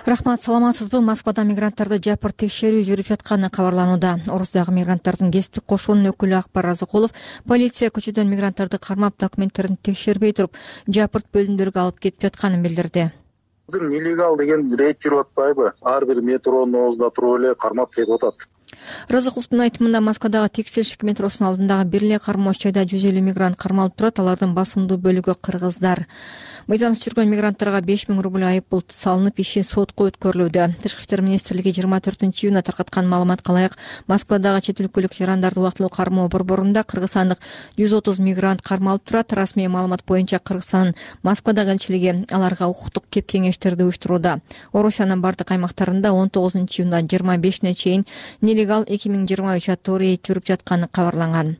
Рахмат, саламатсызбы? Москвада мигранттарды жапырт текшерүү жүрүп жатканы кабарланууда. Орусдагы мигранттардын кесиптик кошуунун өкүлү Акбар Разыкулов полиция көчөдөн мигранттарды кармап документтерин текшербей туруп жапырт бөлүмдөргө алып кетип жатканын билдирди. Нелегал деген рейд жүрүп атпайбы? Ар бир метронун оозунда туруп эле кармап кетип атат. Разыкуловдун айтымында Москвадагы Текстильщик метросунун алдындагы бир эле кармооч жайда 150 мигрант кармалып турат. Алардын басымдуу бөлүгү кыргыздар. Мыйзамсыз жүргөн мигранттарга 5000 рубль айыппул салынып, иши сотко өткөрүлүүдө. Тышкы иштер министрлиги 24-июнда таркаткан маалыматка ылайык Москвадагы чет өлкөлүк жарандарды убактылуу кармоо борборунда кыргызстандык 130 мигрант кармалып турат. Расмий маалымат боюнча Кыргызстандын Москвадагы элчилиги аларга укуктук кеп-кеңештерди уюштурууда. Орусиянын бардык аймактарында 19-июндан 25-ине чейин нелегал 2023 аттуу рейд жүрүп жатканы кабарланган.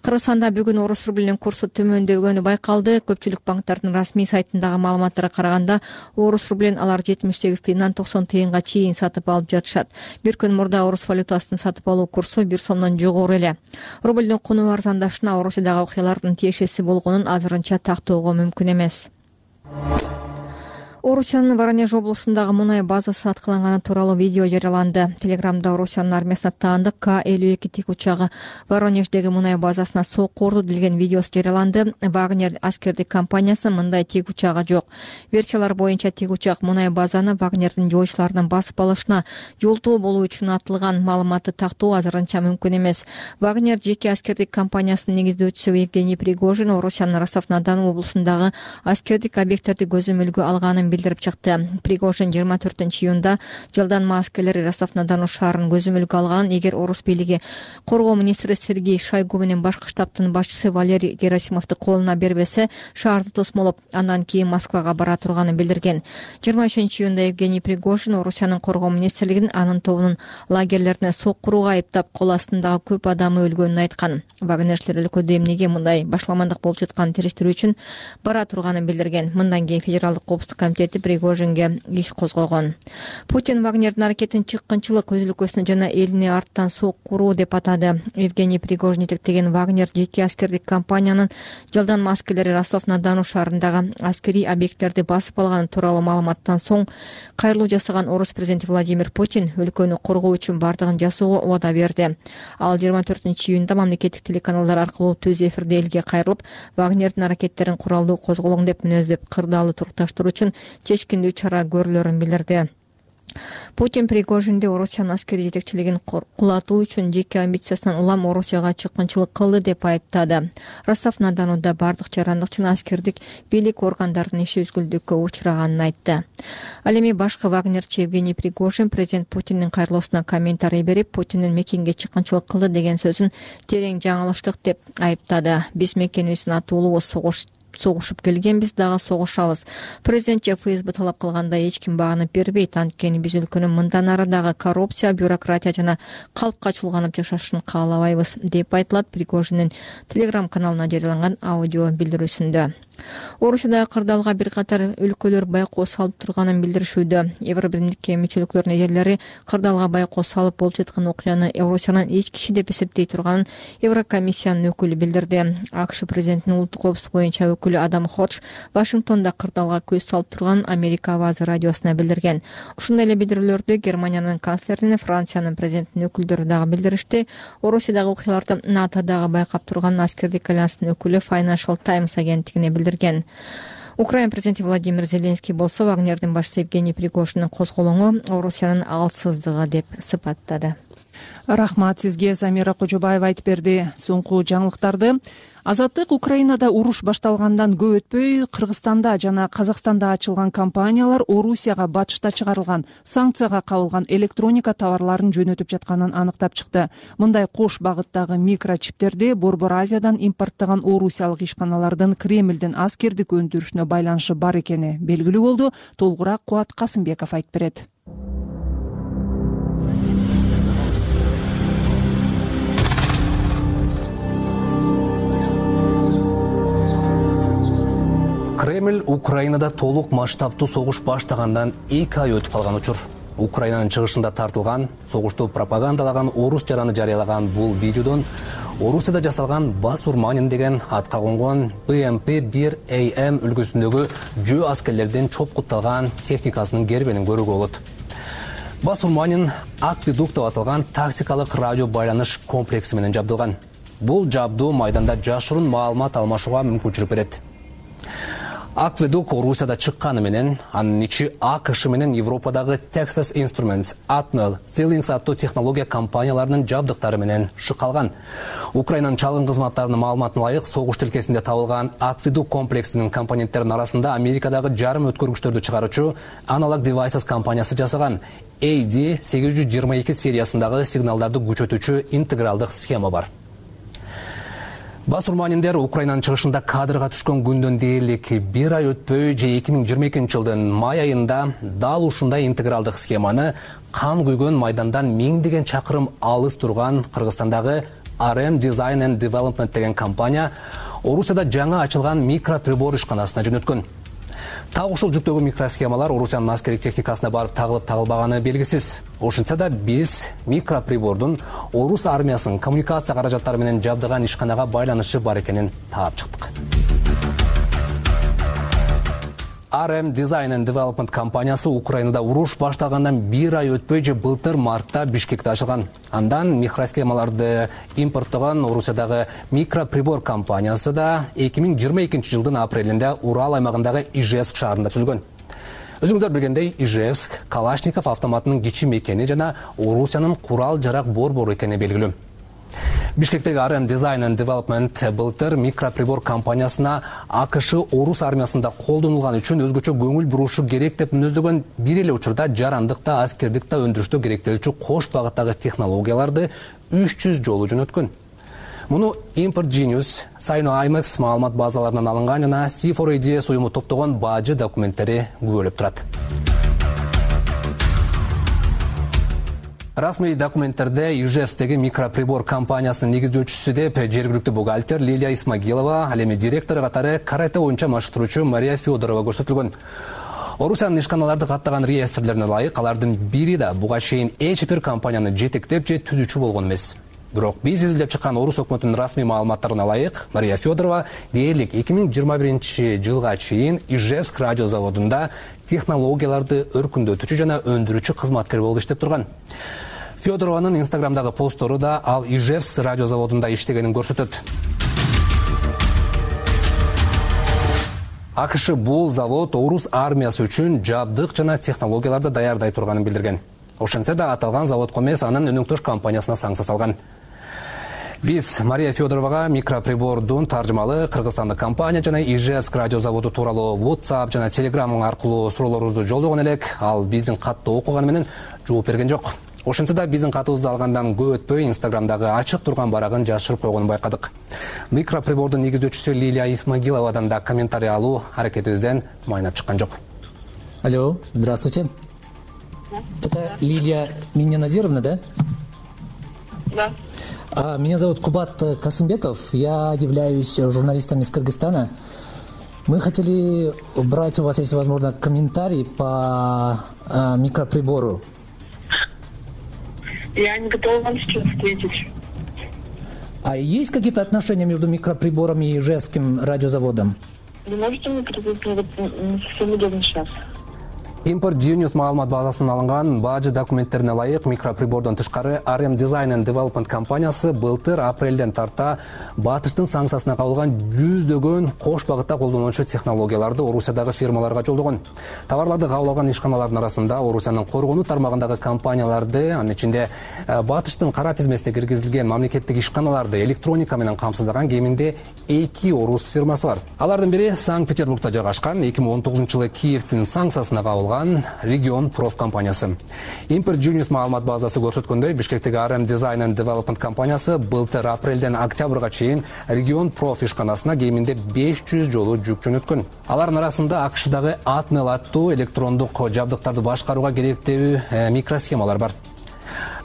Кыргызстанда бүгүн орус рублинин курсу төмөндөгөнү байкалды. Көпчүлүк банктардын расмий сайтындагы маалыматтарга караганда орус рублин алар 78 тыйындан 90 тыйынга чейин сатып алып жатышат. Бир күн мурда орус валютасынын сатып алуу курсу 1 сомдон жогору эле. Рублдун куну арзандашына Орусиядагы окуялардын тиешеси болгонун азырынча тактоого мүмкүн эмес. Орусиянын Воронеж облусундагы мунай базасы аткыланганы тууралуу видео жарыяланды. Телеграмда Орусиянын армиясына таандык К-52 тик учагы Воронеждеги мунай базасына сокку урду делген видеосу жарыяланды. Вагнер аскердик компаниясынын мындай тик учагы жок. Версиялар боюнча тик учак мунай базаны Вагнердин жоочуларынын басып алышына жолтоо болуу үчүн атылган. Маалыматты тактоо азырынча мүмкүн эмес. Вагнер жеке аскердик компаниясынын негиздөөчүсү Евгений Пригожин Орусиянын Ростов-на-Дону облусундагы аскердик объекттерди көзөмөлгө алганын билдирип чыкты. Пригожин 24-июнда жалданма аскерлери Ростов-на-Дону шаарын көзөмөлгө алганын, эгер орус бийлиги коргоо министри Сергей Шойгу менен башкы штабтын башчысы Валерий Герасимовду колуна бербесе, шаарды тосмолоп, андан кийин Москвага бара турганын билдирген. 23-июнда Евгений Пригожин Орусиянын коргоо министрлигин анын тобунун лагерлерине соккурууга айыптап, кол астындагы көп адамы өлгөнүн айткан. Вагнерчилер өлкөдө эмнеге мындай башламандык болуп жатканын териштирүү үчүн бара турганын билдирген. Мындан кийин Федералдык коопсуздук комитети Пригожинге иш козгогон. Путин Вагнердин аракетин чыккынчылык, өз өлкөсүнө жана элине арттан соккуруу деп атады. Евгений Пригожин жетектеген Вагнер жеке аскердик компаниянын жалданма аскерлери Ростов-на-Дону шаарындагы аскерий объекттерди басып алганы тууралуу маалыматтан соң кайрылуу жасаган орус президенти Владимир Путин өлкөнү коргоо үчүн бардыгын жасоого убада берди. Ал 24-июнда мамлекеттик телеканалдар аркылуу түз эфирде элге кайрылып, Вагнердин аракеттерин куралдуу козголоң деп мүнөздөп, кырдаалы турукташтыруу үчүн чечкиндүү чара көрүлөрүн билдирди. Путин Пригожинди Орусиянын аскерий жетекчилигин кулатуу үчүн жеке амбициясынан улам Орусияга чыккынчылык кылды деп айыптады. Ростов-на-Донуда бардык жарандык жана аскердик бийлик органдарынын иши үзгүлтүккө учураганын айтты. Ал эми башкы вагнерчи Евгений Пригожин президент Путиндин кайрылуусуна комментарий берип, Путиндин мекенге чыккынчылык кылды деген сөзүн терең жаңылыштык деп айыптады. Биз мекенибиздин атуулуу согуш согушуп келгенбиз, дагы согушабыз. Президент ФСБ талап кылгандай эч ким багынып бербейт. Анткени биз өлкөнүн мындан ары дагы коррупция, бюрократия жана калпка чулганып жашашын каалабайбыз, деп айтылат Пригожиндин Telegram каналына жарыяланган аудио билдирүүсүндө. Орусияда кырдаалга бир катар өлкөлөр байкоо салып турганын билдиришүүдө. Евробиримдикке мүчөлүктөрүнүн лидерлери кырдаалга байкоо салып болуп жаткан окуяны Орусиянын эч киши деп эсептей турганын Еврокомиссиянын өкүлү билдирди. АКШ президентинин улуттук коопсуздук боюнча өкүлү Адам Ходж Вашингтондо кырдаалга көз салып турганын Америка Авазы радиосуна билдирген. Ушундай эле билдирүүлөрдү Германиянын канцлеринин, Франциянын президентинин өкүлдөрү дагы билдиришти. Орусиядагы окуяларды НАТО дагы байкап турганын аскердик альянстын өкүлү Financial Times агенттигине билдирген. Украина президенти Владимир Зеленский болсо Вагнердин башчысы Евгений Пригожиндин козголоңу Орусиянын алсыздыгы деп сыпаттады. Рахмат сизге, Самира Кожобаева айтып берди. Соңку жаңылыктарды Азаттык Украинада уруш башталгандан көп өтпөй Кыргызстанда жана Казакстанда ачылган компаниялар Орусияга батышта чыгарылган санкцияга кабылган электроника товарларын жөнөтүп жатканын аныктап чыкты. Мындай кош багыттагы микрочиптерди Борбор Азиядан импорттогон орусиялык ишканалардын Кремлдин аскердик өндүрүшүнө байланышы бар экени белгилүү болду. Толугураак Кубат Касымбеков айтып берет. Кремль Украинада толук масштабтуу согуш баштагандан 2 ай өтүп калган учур. Украинанын чыгышында тартылган, согушту пропагандалаган орус жараны жарыялаган бул видеодон Орусияда жасалган Басурманин деген атка конгон BMP-1AM үлгүсүндөгү жөө аскерлердин чопкутталган техникасынын гербенин көрүүгө болот. Басурманин Акведук деп аталган тактикалык радио байланыш комплекси менен жабдылган. Бул жабдуу майданда жашыруун маалымат алмашууга мүмкүнчүлүк берет. Акведук Орусияда чыкканы менен, анын ичи АКШ менен Европадагы Texas Instruments, Atmel, Xilinx аттуу технология компанияларынын жабдыктары менен шыкалган. Украинанын чалгын кызматтарынын маалыматына ылайык, согуш тилкесинде табылган Акведук комплексинин компоненттеринин арасында Америкадагы жарым өткөргүчтөрдү чыгаруучу Analog Devices компаниясы жасаган AD822 сериясындагы сигналдарды күчөтүүчү интегралдык схема бар. Басурманиндер Украинанын чыгышында кадрга түшкөн күндөн дээрлик 1 ай өтпөй же 2022 жылдын май айында дал ушундай интегралдык схеманы кан күйгөн майдандан миңдеген чакырым алыс турган Кыргызстандагы RM Design and Development деген компания Орусияда жаңа ачылган микроприбор ишканасына жөнөткөн. Так ушул жүктөгү микросхемалар Орусиянын аскердик техникасына барып тагылып тагылбаганы белгисиз. Ошентсе да биз микроприбордун орус армиясынын коммуникация каражаттары менен жабдыган ишканага байланышы бар экенин таап чыктык. RM Design and Development компаниясы Украинада уруш башталгандан 1 ай өтпөй же былтыр мартта Бишкекте ачылган. Андан микросхемаларды импорттогон Орусиядагы микроприбор компаниясы да 2022 жылдын апрелинде Урал аймагындагы Ижевск шаарында түзүлгөн. Өзүңүздөр билгендей, Ижевск Калашников автоматынын кичим экени жана Орусиянын курал-жарак борбору экени белгилүү. Бишкектеги RM Design and Development былтыр микроприбор компаниясына АКШ орус армиясында колдонулган үчүн өзгөчө көңүл бурушу керек деп мүнөздөгөн бир эле учурда жарандыкта, аскердикте өндүрүштө керектелүүчү кош багыттагы технологияларды 300 жолу жөнөткөн. Муну Import Genius, Sino-IMAX маалымат базаларынан алынган жана C4ADS уюму топтогон бажы документтери күбөлөп турат. Расмий документтерде Ижевстеги микроприбор компаниясынын негиздөөчүсү деп жергиликтүү бухгалтер Лилия Исмагилова, ал эми директору катары карате боюнча машыктыруучу Мария Федорова көрсөтүлгөн. Орусиянын ишканаларды каттаган реестрлерине ылайык, алардын бири да буга чейин эч бир компанияны жетектеп же түзүүчү болгон эмес. Бирок биз изилдеп чыккан орус өкмөтүнүн расмий маалыматтарына ылайык, Мария Федорова дээрлик 2021 жылга чейин Ижевск радио заводунда технологияларды өркүндөтүүчү жана өндүрүүчү кызматкер болуп иштеп турган. Федорованын Инстаграмдагы посттору да ал Ижевск радио заводунда иштегенин көрсөтөт. АКШ бул завод орус армиясы үчүн жабдык жана технологияларды даярдай турганын билдирген. Ошентсе да аталган заводко эмес, анын өнөктөш компаниясына санкция салган. Биз Мария Федоровага микроприбордун таржымалы кыргызстандык компания жана Ижевск радио заводу тууралуу WhatsApp жана Telegram аркылуу суроолорубузду жолдогон элек, ал биздин катты окуганы менен жооп берген жок. Ошентсе да биздин катыбызды алгандан көп өтпөй Инстаграмдагы ачык турган барагын жашырып койгонун байкадык. Микроприбордун негиздөөчүсү Лилия Исмагиловадан да комментарий алуу аракетибизден майнап чыккан жок. Алло, здравствуйте. Это Лилия Миннаназировна, да? Да. Меня зовут Кубат Касымбеков. Я являюсь журналистом из Кыргызстана. Мы хотели брать у вас, если возможно, комментарий по микроприбору. Я не готова вам сейчас ответить. А есть какие-то отношения между микроприбором и Ижевским радиозаводом? Вы можете мне предупредить, не совсем удобно сейчас. Import Genius маалымат базасынан алынган бажы документтерине ылайык микроприбордон тышкары RM Design and Development компаниясы былтыр апрелден тарта батыштын санкциясына кабылган жүздөгөн кош багытта колдонуучу технологияларды Орусиядагы фирмаларга жолдогон. Товарларды кабыл алган ишканалардын арасында Орусиянын коргонуу тармагындагы компанияларды, анын ичинде батыштын кара тизмесине киргизилген мамлекеттик ишканаларды электроника менен камсыздаган кеминде 2 орус фирмасы бар. Алардын бири Санкт-Петербургда жайгашкан, 2019-жылы Киевдин санкциясына кабылган Region Prof компаниясы. Import Genius маалымат базасы көрсөткөндөй, Бишкектеги RM Design and Development компаниясы былтыр апрелден октябрга чейин Region Prof ишканасына кеминде 500 жолу жүк жөнөткөн. Алардын арасында АКШдагы Atmel аттуу электрондук жабдыктарды башкарууга керектүү микросхемалар бар.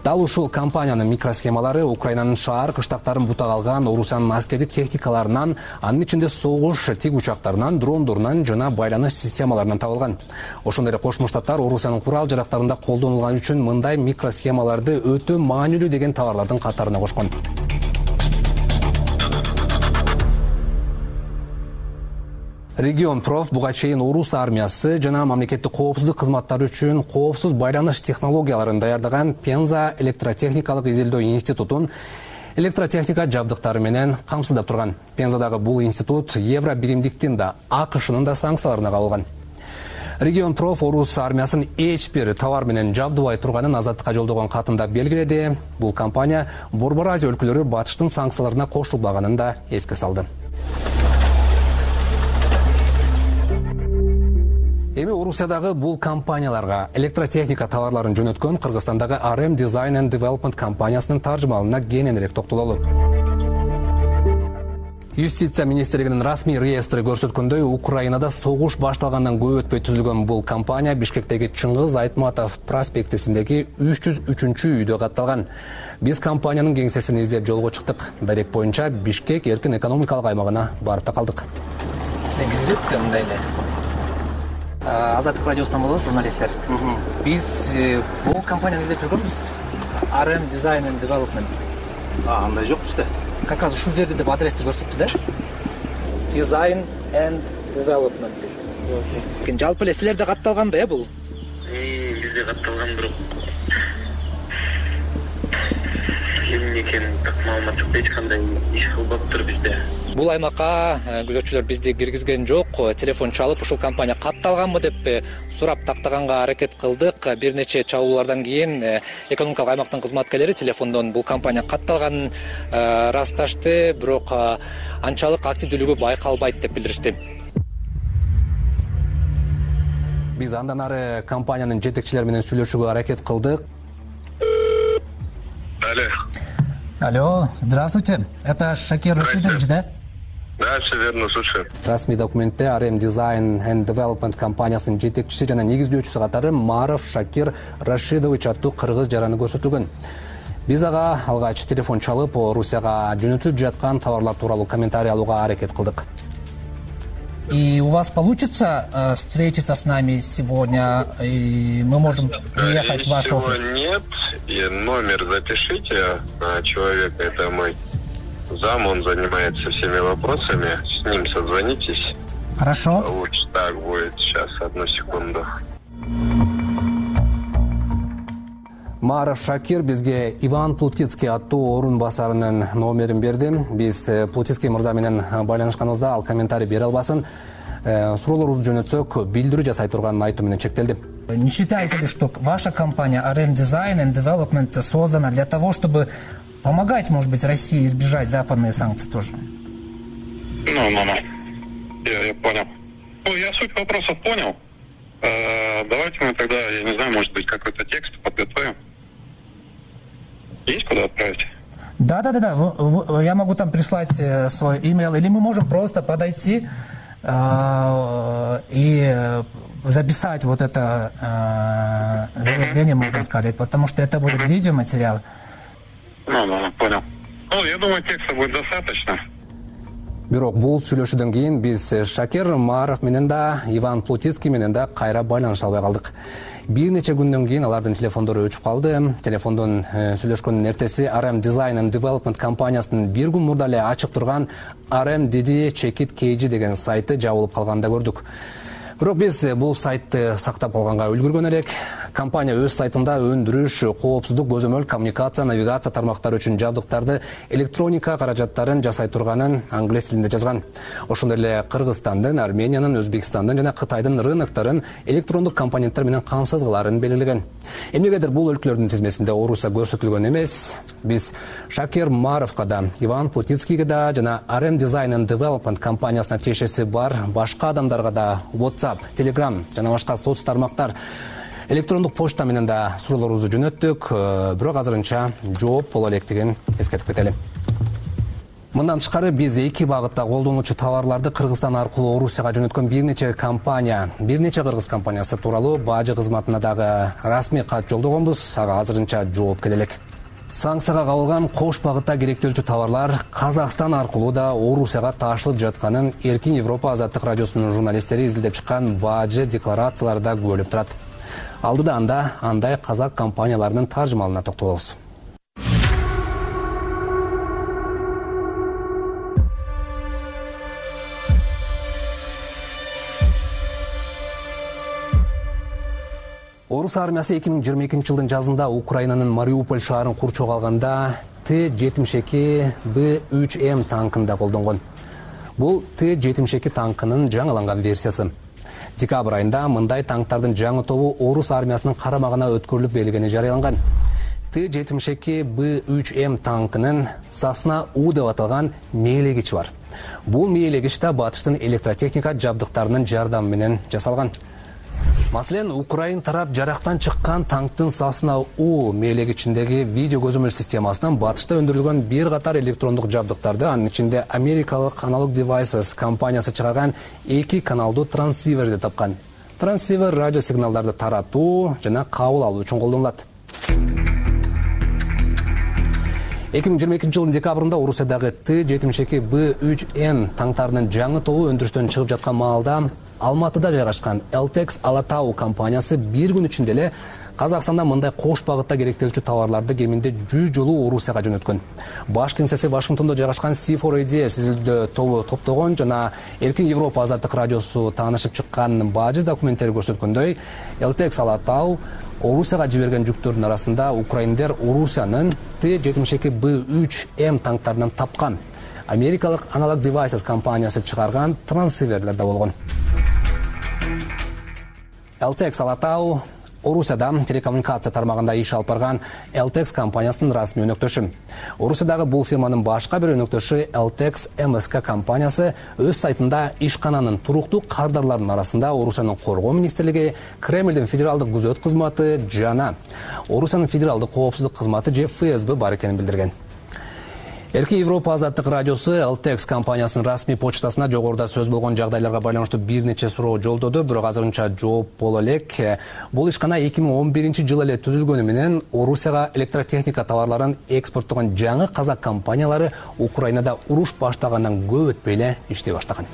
Дал ушул компаниянын микросхемалары Украинанын шаар кыштактарын бутак алган Орусиянын аскердик техникаларынан, анын ичинде согуш тик учактарынан, дрондорунан жана байланыш системаларынан табылган. Ошондой эле Кошмо Штаттар Орусиянын курал жарактарында колдонулган үчүн мындай микросхемаларды өтө маанилүү деген товарлардын катарына кошкон. Region Prof буга чейин орус армиясы жана мамлекеттик коопсуздук кызматтары үчүн коопсуз байланыш технологияларын даярдаган Пенза электротехникалык изилдөө институтун электротехника жабдыктары менен камсыздап турган. Пензадагы бул институт евро биримдиктин да АКШнын да санкцияларына кабылган. Region Prof орус армиясын эч бир товар менен жабдыбай турганын Азаттыкка жолдогон катында белгиледи. Бул компания Борбор Азия өлкөлөрү батыштын санкцияларына кошулбаганын да эске салды. Эми Орусиядагы бул компанияларга электротехника товарларын жөнөткөн Кыргызстандагы RM Design and Development компаниясынын таржымалына кененирээк токтололу. Юстиция министрлигинин расмий реестри көрсөткөндөй, Украинада согуш башталгандан көп өтпөй түзүлгөн бул компания Бишкектеги Чыңгыз Айтматов проспектисиндеги 303 үйдө катталган. Биз компаниянын кеңсесин издеп жолго чыктык. Дарек боюнча Бишкек эркин экономикалык аймагына барып та калдык. Азаттык радиосунан болобуз, журналисттер. Биз бул компанияны издеп жүргөнбүз. RM Design and Development. Андай жок бизде. Как раз ушул жерде деп адрести көрсөттү да. Design and Development. Жалпы эле силерде катталган да, бул? Бизде катталган, бирок эмне экенин так маалымат жок, эч кандай иш кылбаптыр бизде. Бул аймакка күзөтчүлөр бизди киргизген жок. Телефон чалып, ушул компания катталганбы деп сурап тактаганга аракет кылдык. Бир нече чабуулардан кийин экономикалык аймактын кызматкерлери телефондон бул компания катталганын ырасташты, бирок анчалык активдүүлүгү байкалбайт деп билдиришти. Биз андан ары компаниянын жетекчилери менен сүйлөшүүгө аракет кылдык. Алло, здравствуйте. Это Шакир Рашидович, да? Да, все верно, слушаю. Расмий документте RM Design and Development компаниясынын жетекчиси жана негиздөөчүсү катары Маров Шакир Рашидович аттуу кыргыз жараны көрсөтүлгөн. Биз ага алгач телефон чалып, Орусияга жөнөтүлүп жаткан товарлар тууралуу комментарий алууга аракет кылдык. И у вас получится встретиться с нами сегодня, и мы можем приехать в ваш офис? Нет, и номер запишите. Человек, это мой зам, он занимается всеми вопросами. С ним созвонитесь. Хорошо. Лучше так будет. Сейчас, одну секунду. Маров Шакир бизге Иван Плутицкий аттуу орун басарынын номерин берди. Биз Плутицкий мырза менен байланышканыбызда ал комментарий бере албасын. Суроолорубузду жөнөтсөк, билдирүү жасай турганын айтуу менен чектелди. Не считаете ли, что ваша компания RM Design and Development создана для того, чтобы помогать, может быть, России избежать западные санкции тоже? Я понял. Я суть вопросов понял. Давайте мы тогда, я не знаю, может быть, какой-то текст подготовим. Есть куда отправить? Да. Я могу там прислать свой имейл, или мы можем просто подойти и записать вот это заявление, можно сказать, потому что это будет видеоматериал. Понял. Я думаю, текста будет достаточно. Бирок бул сүйлөшүүдөн кийин биз Шакир Мааров менен да, Иван Плутицкий менен да кайра байланыша албай калдык. Бир нече күндөн кийин алардын телефондору өчүп калды. Телефондон сүйлөшкөндүн эртеси RM Design and Development компаниясынын бир күн мурда эле ачык турган RMDD Check It KG деген сайты жабылып калганын да көрдүк. Бирок биз бул сайтты сактап калганга үлгүргөн элек. Компания өз сайтында өндүрүш, коопсуздук, көзөмөл, коммуникация, навигация тармактары үчүн жабдыктарды, электроника каражаттарын жасай турганын англис тилинде жазган. Ошондой эле Кыргызстандын, Армениянын, Өзбекстандын жана Кытайдын рыноктарын электрондук компоненттер менен камсыз кыларын белгилеген. Эмнегедир бул өлкөлөрдүн тизмесинде Орусия көрсөтүлгөн эмес. Биз Шакир Мааровго да, Иван Плутицкийге да жана RM Design and Development компаниясына тиешеси бар башка адамдарга да WhatsApp, Telegram жана башка соц тармактар, электрондук почта менен да суроолорубузду жөнөттүк, бирок азырынча жооп боло электигин эскертип кетели. Мындан тышкары биз эки багытта колдонуучу товарларды Кыргызстан аркылуу Орусияга жөнөткөн бир нече кыргыз компаниясы тууралуу бажы кызматына дагы расмий кат жолдогонбуз. Ага азырынча жооп келе элек. Санкцияга кабылган кош багытта керектелчү товарлар Казакстан аркылуу да Орусияга ташылып жатканын Эркин Европа азаттык радиосунун журналисттери изилдеп чыккан бажы декларацияларда күбөлөп турат. Алдыда андай казак компанияларынын таржымалына токтолобуз. Орус армиясы 2022-жылдын жазында Украинанын Мариуполь шаарын курчоого алганда Т-72Б3М танкын да колдонгон. Бул Т-72 танкынын жаңыланган версиясы. Декабрь айында мындай танктардын жаңы тобу Орус армиясынын карамагына өткөрүлүп берилгени жарыяланган. Т-72Б3М танкынын Сасна-У деп аталган мээлегичи бар. Бул мээлегич да батыштын электротехника жабдыктарынын жардамы менен жасалган. Маселен, Украин тарап жарактан чыккан танктын Сасна-У мээлегичиндеги видео көзөмөл системасынан батышта өндүрүлгөн бир катар электрондук жабдыктарды, анын ичинде америкалык Analog Devices компаниясы чыгарган 2 каналдуу трансиверди тапкан. Трансивер радио сигналдарды таратуу жана кабыл алуу үчүн колдонулат. 2022-жылдын декабрында Орусиядагы Т-72Б3М танктарынын жаңы тобу өндүрүштөн чыгып жаткан маалда Алматыда жайгашкан Eltex Alatau компаниясы бир күн ичинде эле Казакстанда мындай кош багытта керектелчү товарларды кеминде 100 жолу Орусияга жөнөткөн. Баш кеңсеси Вашингтондо жайгашкан C4AD изилдөө тобу топтогон жана Эркин Европа азаттык радиосу таанышып чыккан бажы документтери көрсөткөндөй, Eltex Alatau Орусияга жиберген жүктөрдүн арасында украиндер Орусиянын Т-72Б3М танктарынан тапкан америкалык Analog Devices компаниясы чыгарган трансиверлер да болгон. Eltex Alatau Орусияда телекоммуникация тармагында иш алып барган Eltex компаниясынын расмий өнөктөшү. Орусиядагы бул фирманын башка бир өнөктөшү Eltex MSK компаниясы өз сайтында ишкананын туруктуу кардарларынын арасында Орусиянын коргоо министрлиги, Кремлдин федералдык күзөт кызматы жана Орусиянын федералдык коопсуздук кызматы же ФСБ бар экенин билдирген. Эркин Европа азаттык радиосу Eltex компаниясынын расмий почтасына жогоруда сөз болгон жагдайларга байланыштуу бир нече суроо жолдоду, бирок азырынча жооп боло элек. Бул ишкана 2011-жылы эле түзүлгөнү менен Орусияга электротехника товарларын экспорттогон жаңы казак компаниялары Украинада уруш баштагандан көп өтпөй эле иштей баштаган.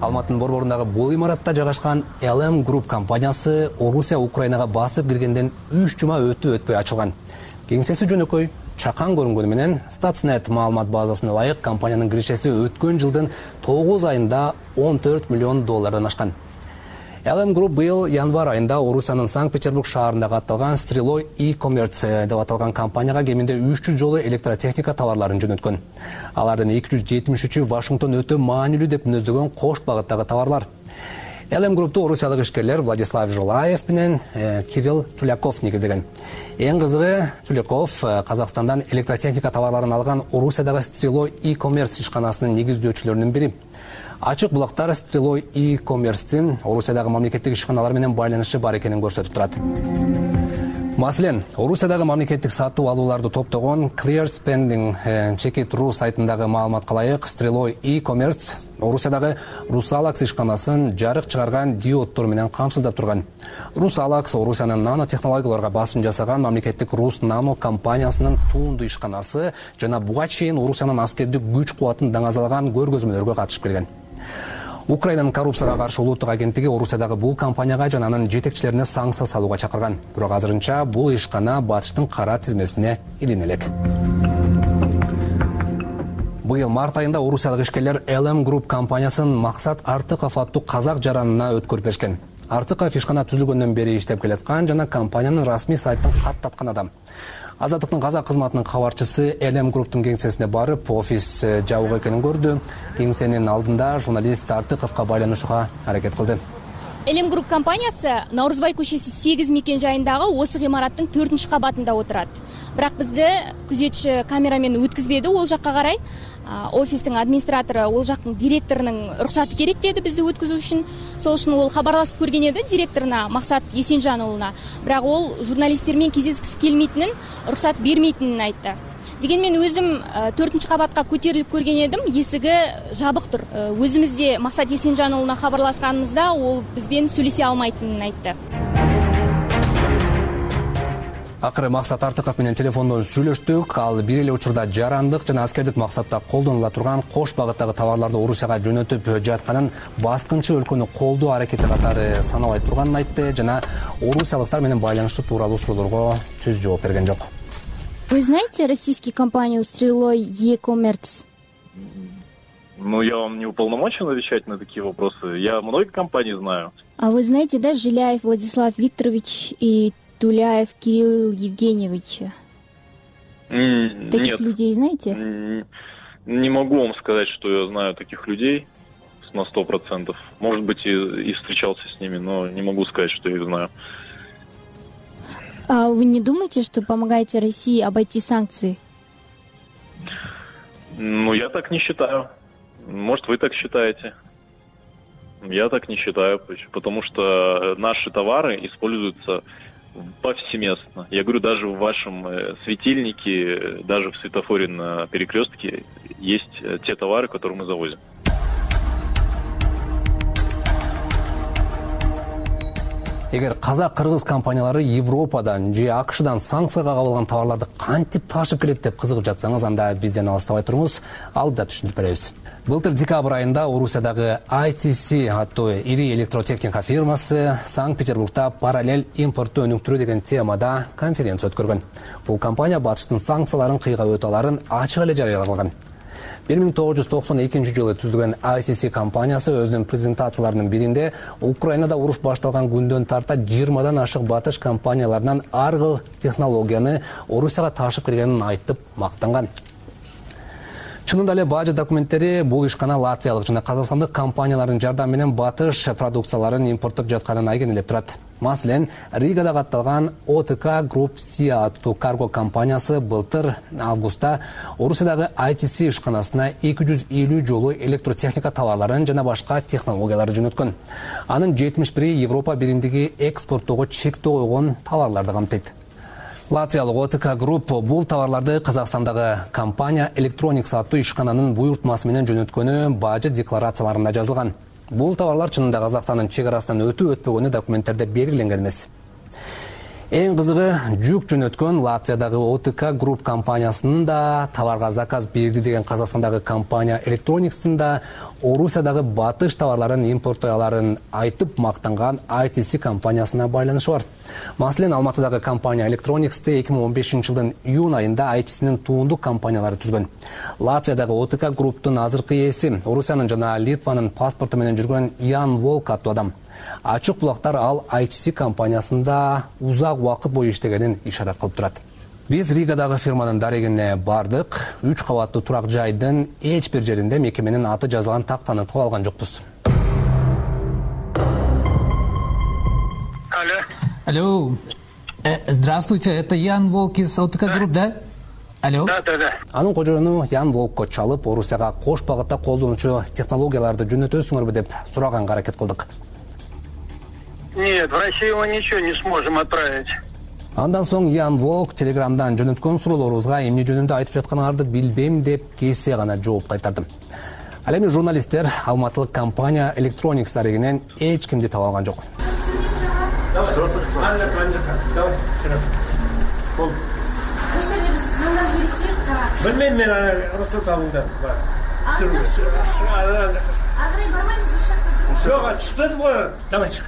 Алматынын борборундагы бул имаратта жайгашкан LM Group компаниясы Орусия Украинага басып киргенден 3 жума өтпөй ачылган. Кеңсеси жөнөкөй, чакан көрүнгөнү менен Statsnet маалымат базасына ылайык компаниянын киришеси өткөн жылдын 9 айында $14 миллион ашкан. LM Group быйыл январь айында Орусиянын Санкт-Петербург шаарында катталган Streloi e-commerce деп аталган компанияга кеминде 300 жолу электротехника товарларын жөнөткөн. Алардын 273-ü Вашингтон өтө маанилүү деп мүнөздөгөн кош багыттагы товарлар. LM Group'ту орусиялык ишкерлер Владислав Жилаев менен Кирилл Туляков негиздеген. Эң кызыгы, Туляков Казакстандан электротехника товарларын алган Орусиядагы Streloi e-commerce ишканасынын негиздөөчүлөрүнүн бири. Ачык булактар Streloi e-commerce'тин Орусиядагы мамлекеттик ишканалар менен байланышы бар экенин көрсөтүп турат. Маселен, Орусиядагы мамлекеттик сатып алууларды топтогон Clear Spending Check.ru сайтындагы маалыматка ылайык, Streloi e-commerce Орусиядагы Rusalax ишканасын жарык чыгарган диоддор менен камсыздап турган. Rusalax Орусиянын нанотехнологияларга басым жасаган мамлекеттик Рус Нано компаниясынын туунду ишканасы жана буга чейин Орусиянын аскердик күч кубатын даңазалаган көргөзмөлөргө катышып келген. Украинанын коррупцияга каршы улуттук агенттиги Орусиядагы бул компанияга жана анын жетекчилерине санкция салууга чакырган. Бирок азырынча бул ишкана батыштын кара тизмесине илине элек. Быйыл март айында орусиялык ишкерлер LM Group компаниясын Максат Артыков аттуу казак жаранына өткөрүп беришкен. Артыков ишкана түзүлгөндөн бери иштеп келаткан жана компаниянын расмий сайтын каттаткан адам. Азаттыктын казак кызматынын кабарчысы LM Group'тун кеңсесине барып, офис жабык экенин көрдү. Кеңсенин алдында журналист Артыковго байланышууга аракет кылды. LM Group компаниясы Наурузбай көчөсү 8 мекен жайындагы осы гымараттын 4-кабатында отурат. Бирок бизди күзөтчү камерамен өткүзбөдү ол жакка карай. Офистин администратору, ол жактын директорунун уруксаты керек деди бизди өткүзүү үчүн. Сол үчүн ол кабарлашып көргөн эди директоруна, Максат Есенжан уулуна. Бирок ол журналисттер менен кездескиси келмейтинин, уруксат бермейтинин айтты. Дегенмен өзүм 4-кабатка көтөрүлүп көргөн эдим, эсиги жабыктыр. Өзүбүзде Максат Есенжан уулуна кабарлашканыбызда ол биз менен сүйлөшө алмайтынын айтты. Акыры Максат Артыков менен телефондон сүйлөштүк. Ал бир эле учурда жарандык жана аскердик максатта колдонула турган кош багыттагы товарларды Орусияга жөнөтүп жатканын баскынчы өлкөнү колдоо аракети катары санабай турганын айтты жана орусиялыктар менен байланыштуу тууралуу суроолорго түз жооп берген жок. Вы знаете российскую компанию Streloi e-commerce? Ну, я вам не уполномочен отвечать на такие вопросы. Я многие компании знаю. А вы знаете, да, Жиляев Владислав Викторович и Туляев Кирилл Евгеньевич? Таких людей знаете? Не могу вам сказать, что я знаю таких людей на 100%. Может быть, и встречался с ними, но не могу сказать, что я их знаю. А вы не думаете, что помогаете России обойти санкции? Ну, я так не считаю. Может, вы так считаете. Я так не считаю, потому что наши товары используются повсеместно. Я говорю, даже в вашем светильнике, даже в светофоре на перекрестке есть те товары, которые мы завозим. Эгер казак-кыргыз компаниялары Европадан же АКШдан санкцияга кабылган товарларды кантип ташып келет деп кызыгып жатсаңыз, анда бизден алыстабай туруңуз, алдыда түшүндүрүп беребиз. Былтыр декабрь айында Орусиядагы ITC аттуу ири электротехника фирмасы Санкт-Петербургда параллель импортту өнүктүрүү деген темада конференция өткөргөн. Бул компания батыштын санкцияларын кыйга өтөларын ачык эле жарыялаган. 1992 жылы түзүлгөн ITC компаниясы өзүнүн презентацияларынын биринде Украинада уруш башталган күндөн тарта 20дан ашык батыш компанияларынан ар кыл технологияны Орусияга ташып киргенин айтып мактанган. Чынында эле бажы документтери бул ишкана латвиялык жана казакстандык компаниялардын жардамы менен батыш продукцияларын импорттоп жатканын айгинелеп турат. Маселен, Ригада катталган OTK Group SIA аттуу карго компаниясы былтыр августта Орусиядагы ITC ишканасына 250 жолу электротехника товарларын жана башка технологияларды жөнөткөн. Анын 71 Европа биримдиги экспорттоого чектөө койгон товарларды камтыйт. Латвиялык OTK Group бул товарларды Казакстандагы компания Electronics аттуу ишкананын буйртмасы менен жөнөткөнү бажы декларацияларында жазылган. Бул товарлар чынында Казакстандын чек арасынан өтпөгөнү документтерде белгиленген эмес. Эң кызыгы, жүк жөнөткөн Латвиядагы OTK Group компаниясынын да товарга заказ берди деген Казакстандагы компания Electronics'тын да Орусиядагы батыш товарларын импорттой аларын айтып мактанган ITC компаниясына байланышы бар. Маселен, Алматыдагы компания Electronics'ты 2015 жылдын июнь айында ITC'нин туундук компаниялары түзгөн. Латвиядагы OTK Group'тун азыркы ээси Орусиянын жана Литванын паспорту менен жүргөн Ян Волк аттуу адам. Ачык булактар ал ITC компаниясында узак убакыт бою иштегенин ишарат кылып турат. Биз Ригадагы фирманын дарегине бардык. 3 кабаттуу турак жайдын эч бир жеринде мекеменин аты жазылган тактаны таап алган жокпуз. Алло. Здравствуйте, это Ян Волк из OTK Group, да? Алло. Да. Анын кожоюну Ян Волкко чалып, Орусияга кош багытта колдонуучу технологияларды жөнөтөсүңөрбү деп сураганга аракет кылдык. Нет, в Россию мы ничего не сможем отправить. Андан соң Ян Волк Телеграмдан жөнөткөн суроолорубузга эмне жөнүндө айтып жатканыңарды билбейм деп кесе гана жооп кайтарды. Ал эми журналисттер алматылык компания Electronics дарегинен эч кимди таба алган жок. Bilmem men ruhsat alındı. Arqaray barmaymiz o'sha yoqqa. Yo'q, chiqdi bu. Давай chiq.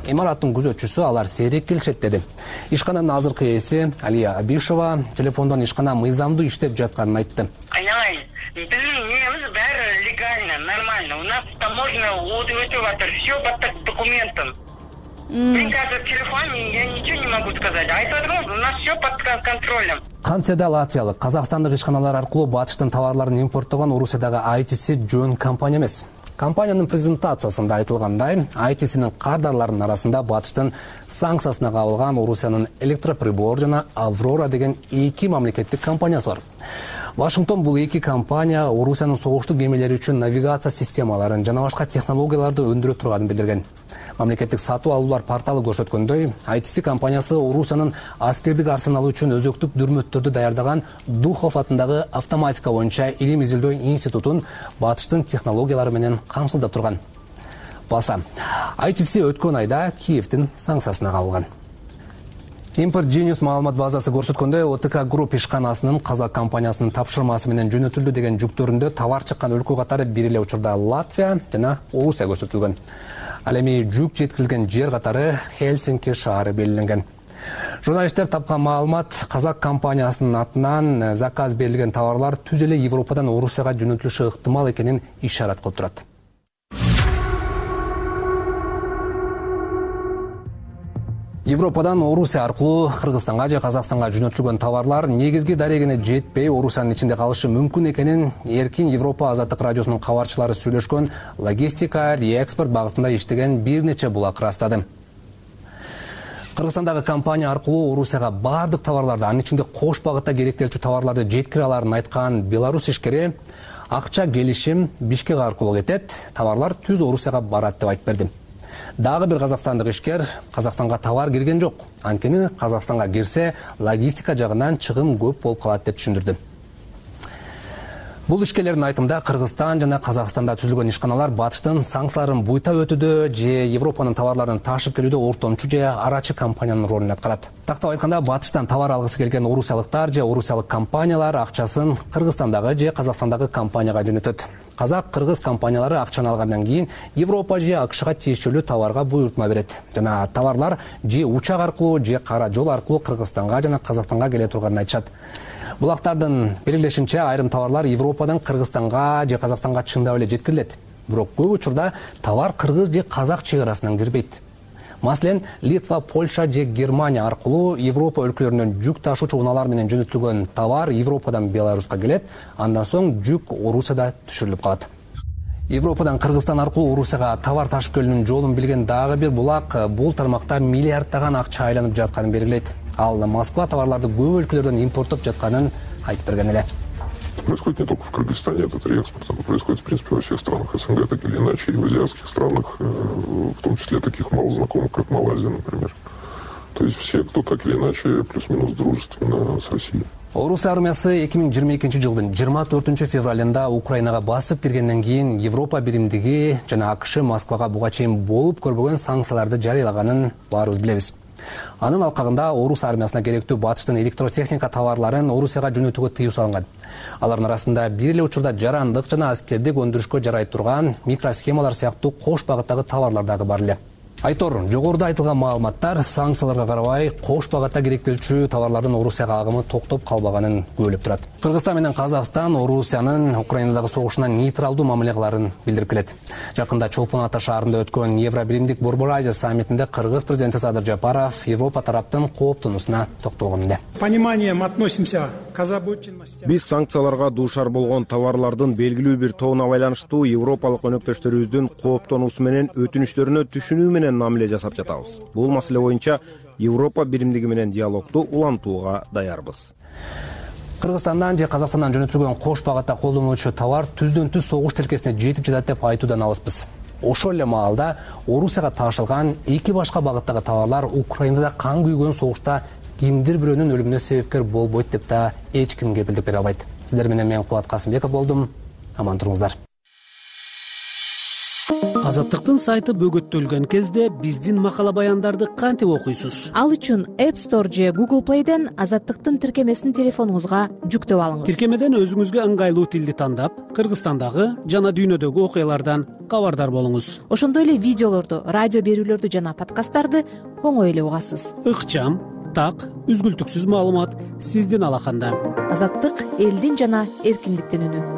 Имараттын күзөтчүсү алар сейрек келишет деди. Ишкананын азыркы ээси Алия Абишева телефондон ишкана мыйзамдуу иштеп жатканын айтты. Понимаете, биздин немиз баары легально, нормально. У нас таможня өтүп атат, все по документам. Приказ телефон, я ничего не могу сказать. У нас все под контролем. Кантседе латвиялык, казакстандык ишканалар аркылуу батыштын товарларын импорттогон Орусиядагы ITC жөн компания эмес. Компаниянын презентациясында айтылгандай, ITC-нин кардарларынын арасында батыштын санкциясына кабылган Орусиянын электроприбор жана Аврора деген эки мамлекеттик компаниясы бар. Вашингтон бул эки компания Орусиянын согуштуу кемелери үчүн навигация системаларын жана башка технологияларды өндүрө турганын билдирген. Мамлекеттик сатуу алуулар порталы көрсөткөндөй, ITC компаниясы Орусиянын аскердик арсеналы үчүн өзөктүк дүрмөттөрдү даярдаган Духов атындагы автоматика боюнча илим изилдөө институтун батыштын технологиялары менен камсыздап турган. Баса, ITC өткөн айда Киевдин санкциясына кабылган. Import Genius маалымат базасы көрсөткөндөй, ОТК Group ишканасынын казак компаниясынын тапшырмасы менен жөнөтүлдү деген жүктөрүндө товар чыккан өлкө катары бир эле учурда Латвия жана Орусия көрсөтүлгөн. Ал эми жүк жеткирилген жер катары Хельсинки шаары белгиленген. Журналисттер тапкан маалымат, казак компаниясынын атынан заказ берилген товарлар түз эле Европадан Орусияга жөнөтүлүшү ыктымал экенин ишарат кылып турат. Европадан Орусия аркылуу Кыргызстанга же Казакстанга жөнөтүлгөн товарлар негизги дарегине жетпей, Орусиянын ичинде калышы мүмкүн экенин Эркин Европа азаттык радиосунун кабарчылары сүйлөшкөн логистика, реэкспорт багытында иштеген бир нече булак ырастады. Кыргызстандагы компания аркылуу Орусияга бардык товарларды, анын ичинде кош багытта керектелчү товарларды жеткире аларын айткан Беларусь ишкери акча келишим Бишкек аркылуу кетет, товарлар түз Орусияга барат деп айтып берди. Дагы бир казакстандык ишкер Казакстанга товар кирген жок. Анткени Казакстанга кирсе, логистика жагынан чыгым көп болуп калат деп түшүндүрдү. Бул ишкерлердин айтымында Кыргызстан жана Казакстанда түзүлгөн ишканалар батыштын санкцияларын буйта өтүүдө же Европанын товарларын ташып келүүдө ортомчу же арачы компаниянын ролун аткарат. Тактап айтканда, батыштан товар алгысы келген орусиялыктар же орусиялык компаниялар акчасын Кыргызстандагы же Казакстандагы компанияга жөнөтөт. Казак-кыргыз компаниялары акчаны алгандан кийин Европа же АКШга тиешелүү товарга буйртма берет. Жана товарлар же учак аркылуу же кара жол аркылуу Кыргызстанга жана Казакстанга келе турганын айтышат. Булактардын белгилешинче, айрым товарлар Европадан Кыргызстанга же Казакстанга чындап эле жеткирилет. Бирок көп учурда товар кыргыз же казак чек арасынан кирбейт. Маселен, Литва, Польша же Германия аркылуу Европа өлкөлөрүнөн жүк ташуучу унаалар менен жөнөтүлгөн товар Европадан Беларуска келет, андан соң жүк Орусияда түшүрүлүп калат. Европадан Кыргызстан аркылуу Орусияга товар ташып келүүнүн жолун билген дагы бир булак бул тармакта миллиарддаган акча айланып жатканын белгилейт. Ал Москва товарларды көп өлкөлөрдөн импорттоп жатканын айтып берген эле. Происходит не только в Кыргызстане, этот реэкспорт, это происходит, в принципе, во всех странах СНГ, так или иначе, и в азиатских странах, в том числе таких мало знакомых, как Малайзия, например. То есть все, кто так или иначе плюс-минус дружественно с Россией. Орусия армиясы 2022 жылдын 24 февралында Украинага басып киргенден кийин Европа биримдиги жана АКШ Москвага буга чейин болуп көрбөгөн санкцияларды жарыялаганын баарыбыз билебиз. Анын алкагында орус армиясына керектүү батыштын электротехника товарларын Орусияга жөнөтүүгө тыюу салынган. Алардын арасында бир эле учурда жарандык жана аскердик өндүрүшкө жарай турган микросхемалар сыяктуу кош багыттагы товарлар дагы бар эле. Айтор, жогоруда айтылган маалыматтар санкцияларга карабай кош багытта керектелчү товарлардын Орусияга агымы токтоп калбаганын күбөлөп турат. Кыргызстан менен Казакстан Орусиянын Украинадагы согушуна нейтралдуу мамиле кыларын билдирип келет. Жакында Чолпон Ата шаарында өткөн Евробиримдик Борбор Азия саммитинде Кыргыз президенти Садыр Жапаров Европа тараптын кооптонуусуна токтолгон эле. Пониманием относимся Биз санкцияларга дуушар болгон товарлардын белгилүү бир тобуна байланыштуу европалык өнөктөштөрүбүздүн кооптонуусу менен өтүнүчлөрүнө түшүнүү менен мамиле жасап жатабыз. Бул маселе боюнча Европа биримдиги менен диалогду улантууга даярбыз. Кыргызстандан же Казакстандан жөнөтүлгөн кош багатта колдонулуучу товар түздөн түз согуш тилкесине жетип жатат деп айтуудан алыспыз. Ошол эле маалда Орусияга ташылган эки башка багыттагы товарлар Украинада кан күйгөн согушта кимдир бирөөнүн өлүмүнө себепкер болбойт деп да эч ким кепилдик бере албайт. Сиздер менен мен Кубат Касымбеков болдум. Аман туруңуздар. Азаттыктын сайты бөгөттөлгөн кезде биздин макала баяндарды кантип окуйсуз? Ал үчүн App Store же Google Play'ден Азаттыктын тиркемесин телефонуңузга жүктөп алыңыз. Тиркемеден өзүңүзгө ыңгайлуу тилди тандап, Кыргызстандагы жана дүйнөдөгү окуялардан кабардар болуңуз. Ошондой эле видеолорду, радио берүүлөрдү жана подкасттарды оңой эле угасыз. Ыкчам, так, үзгүлтүксүз маалымат сиздин алаканда. Азаттык — элдин жана эркиндиктин үнү.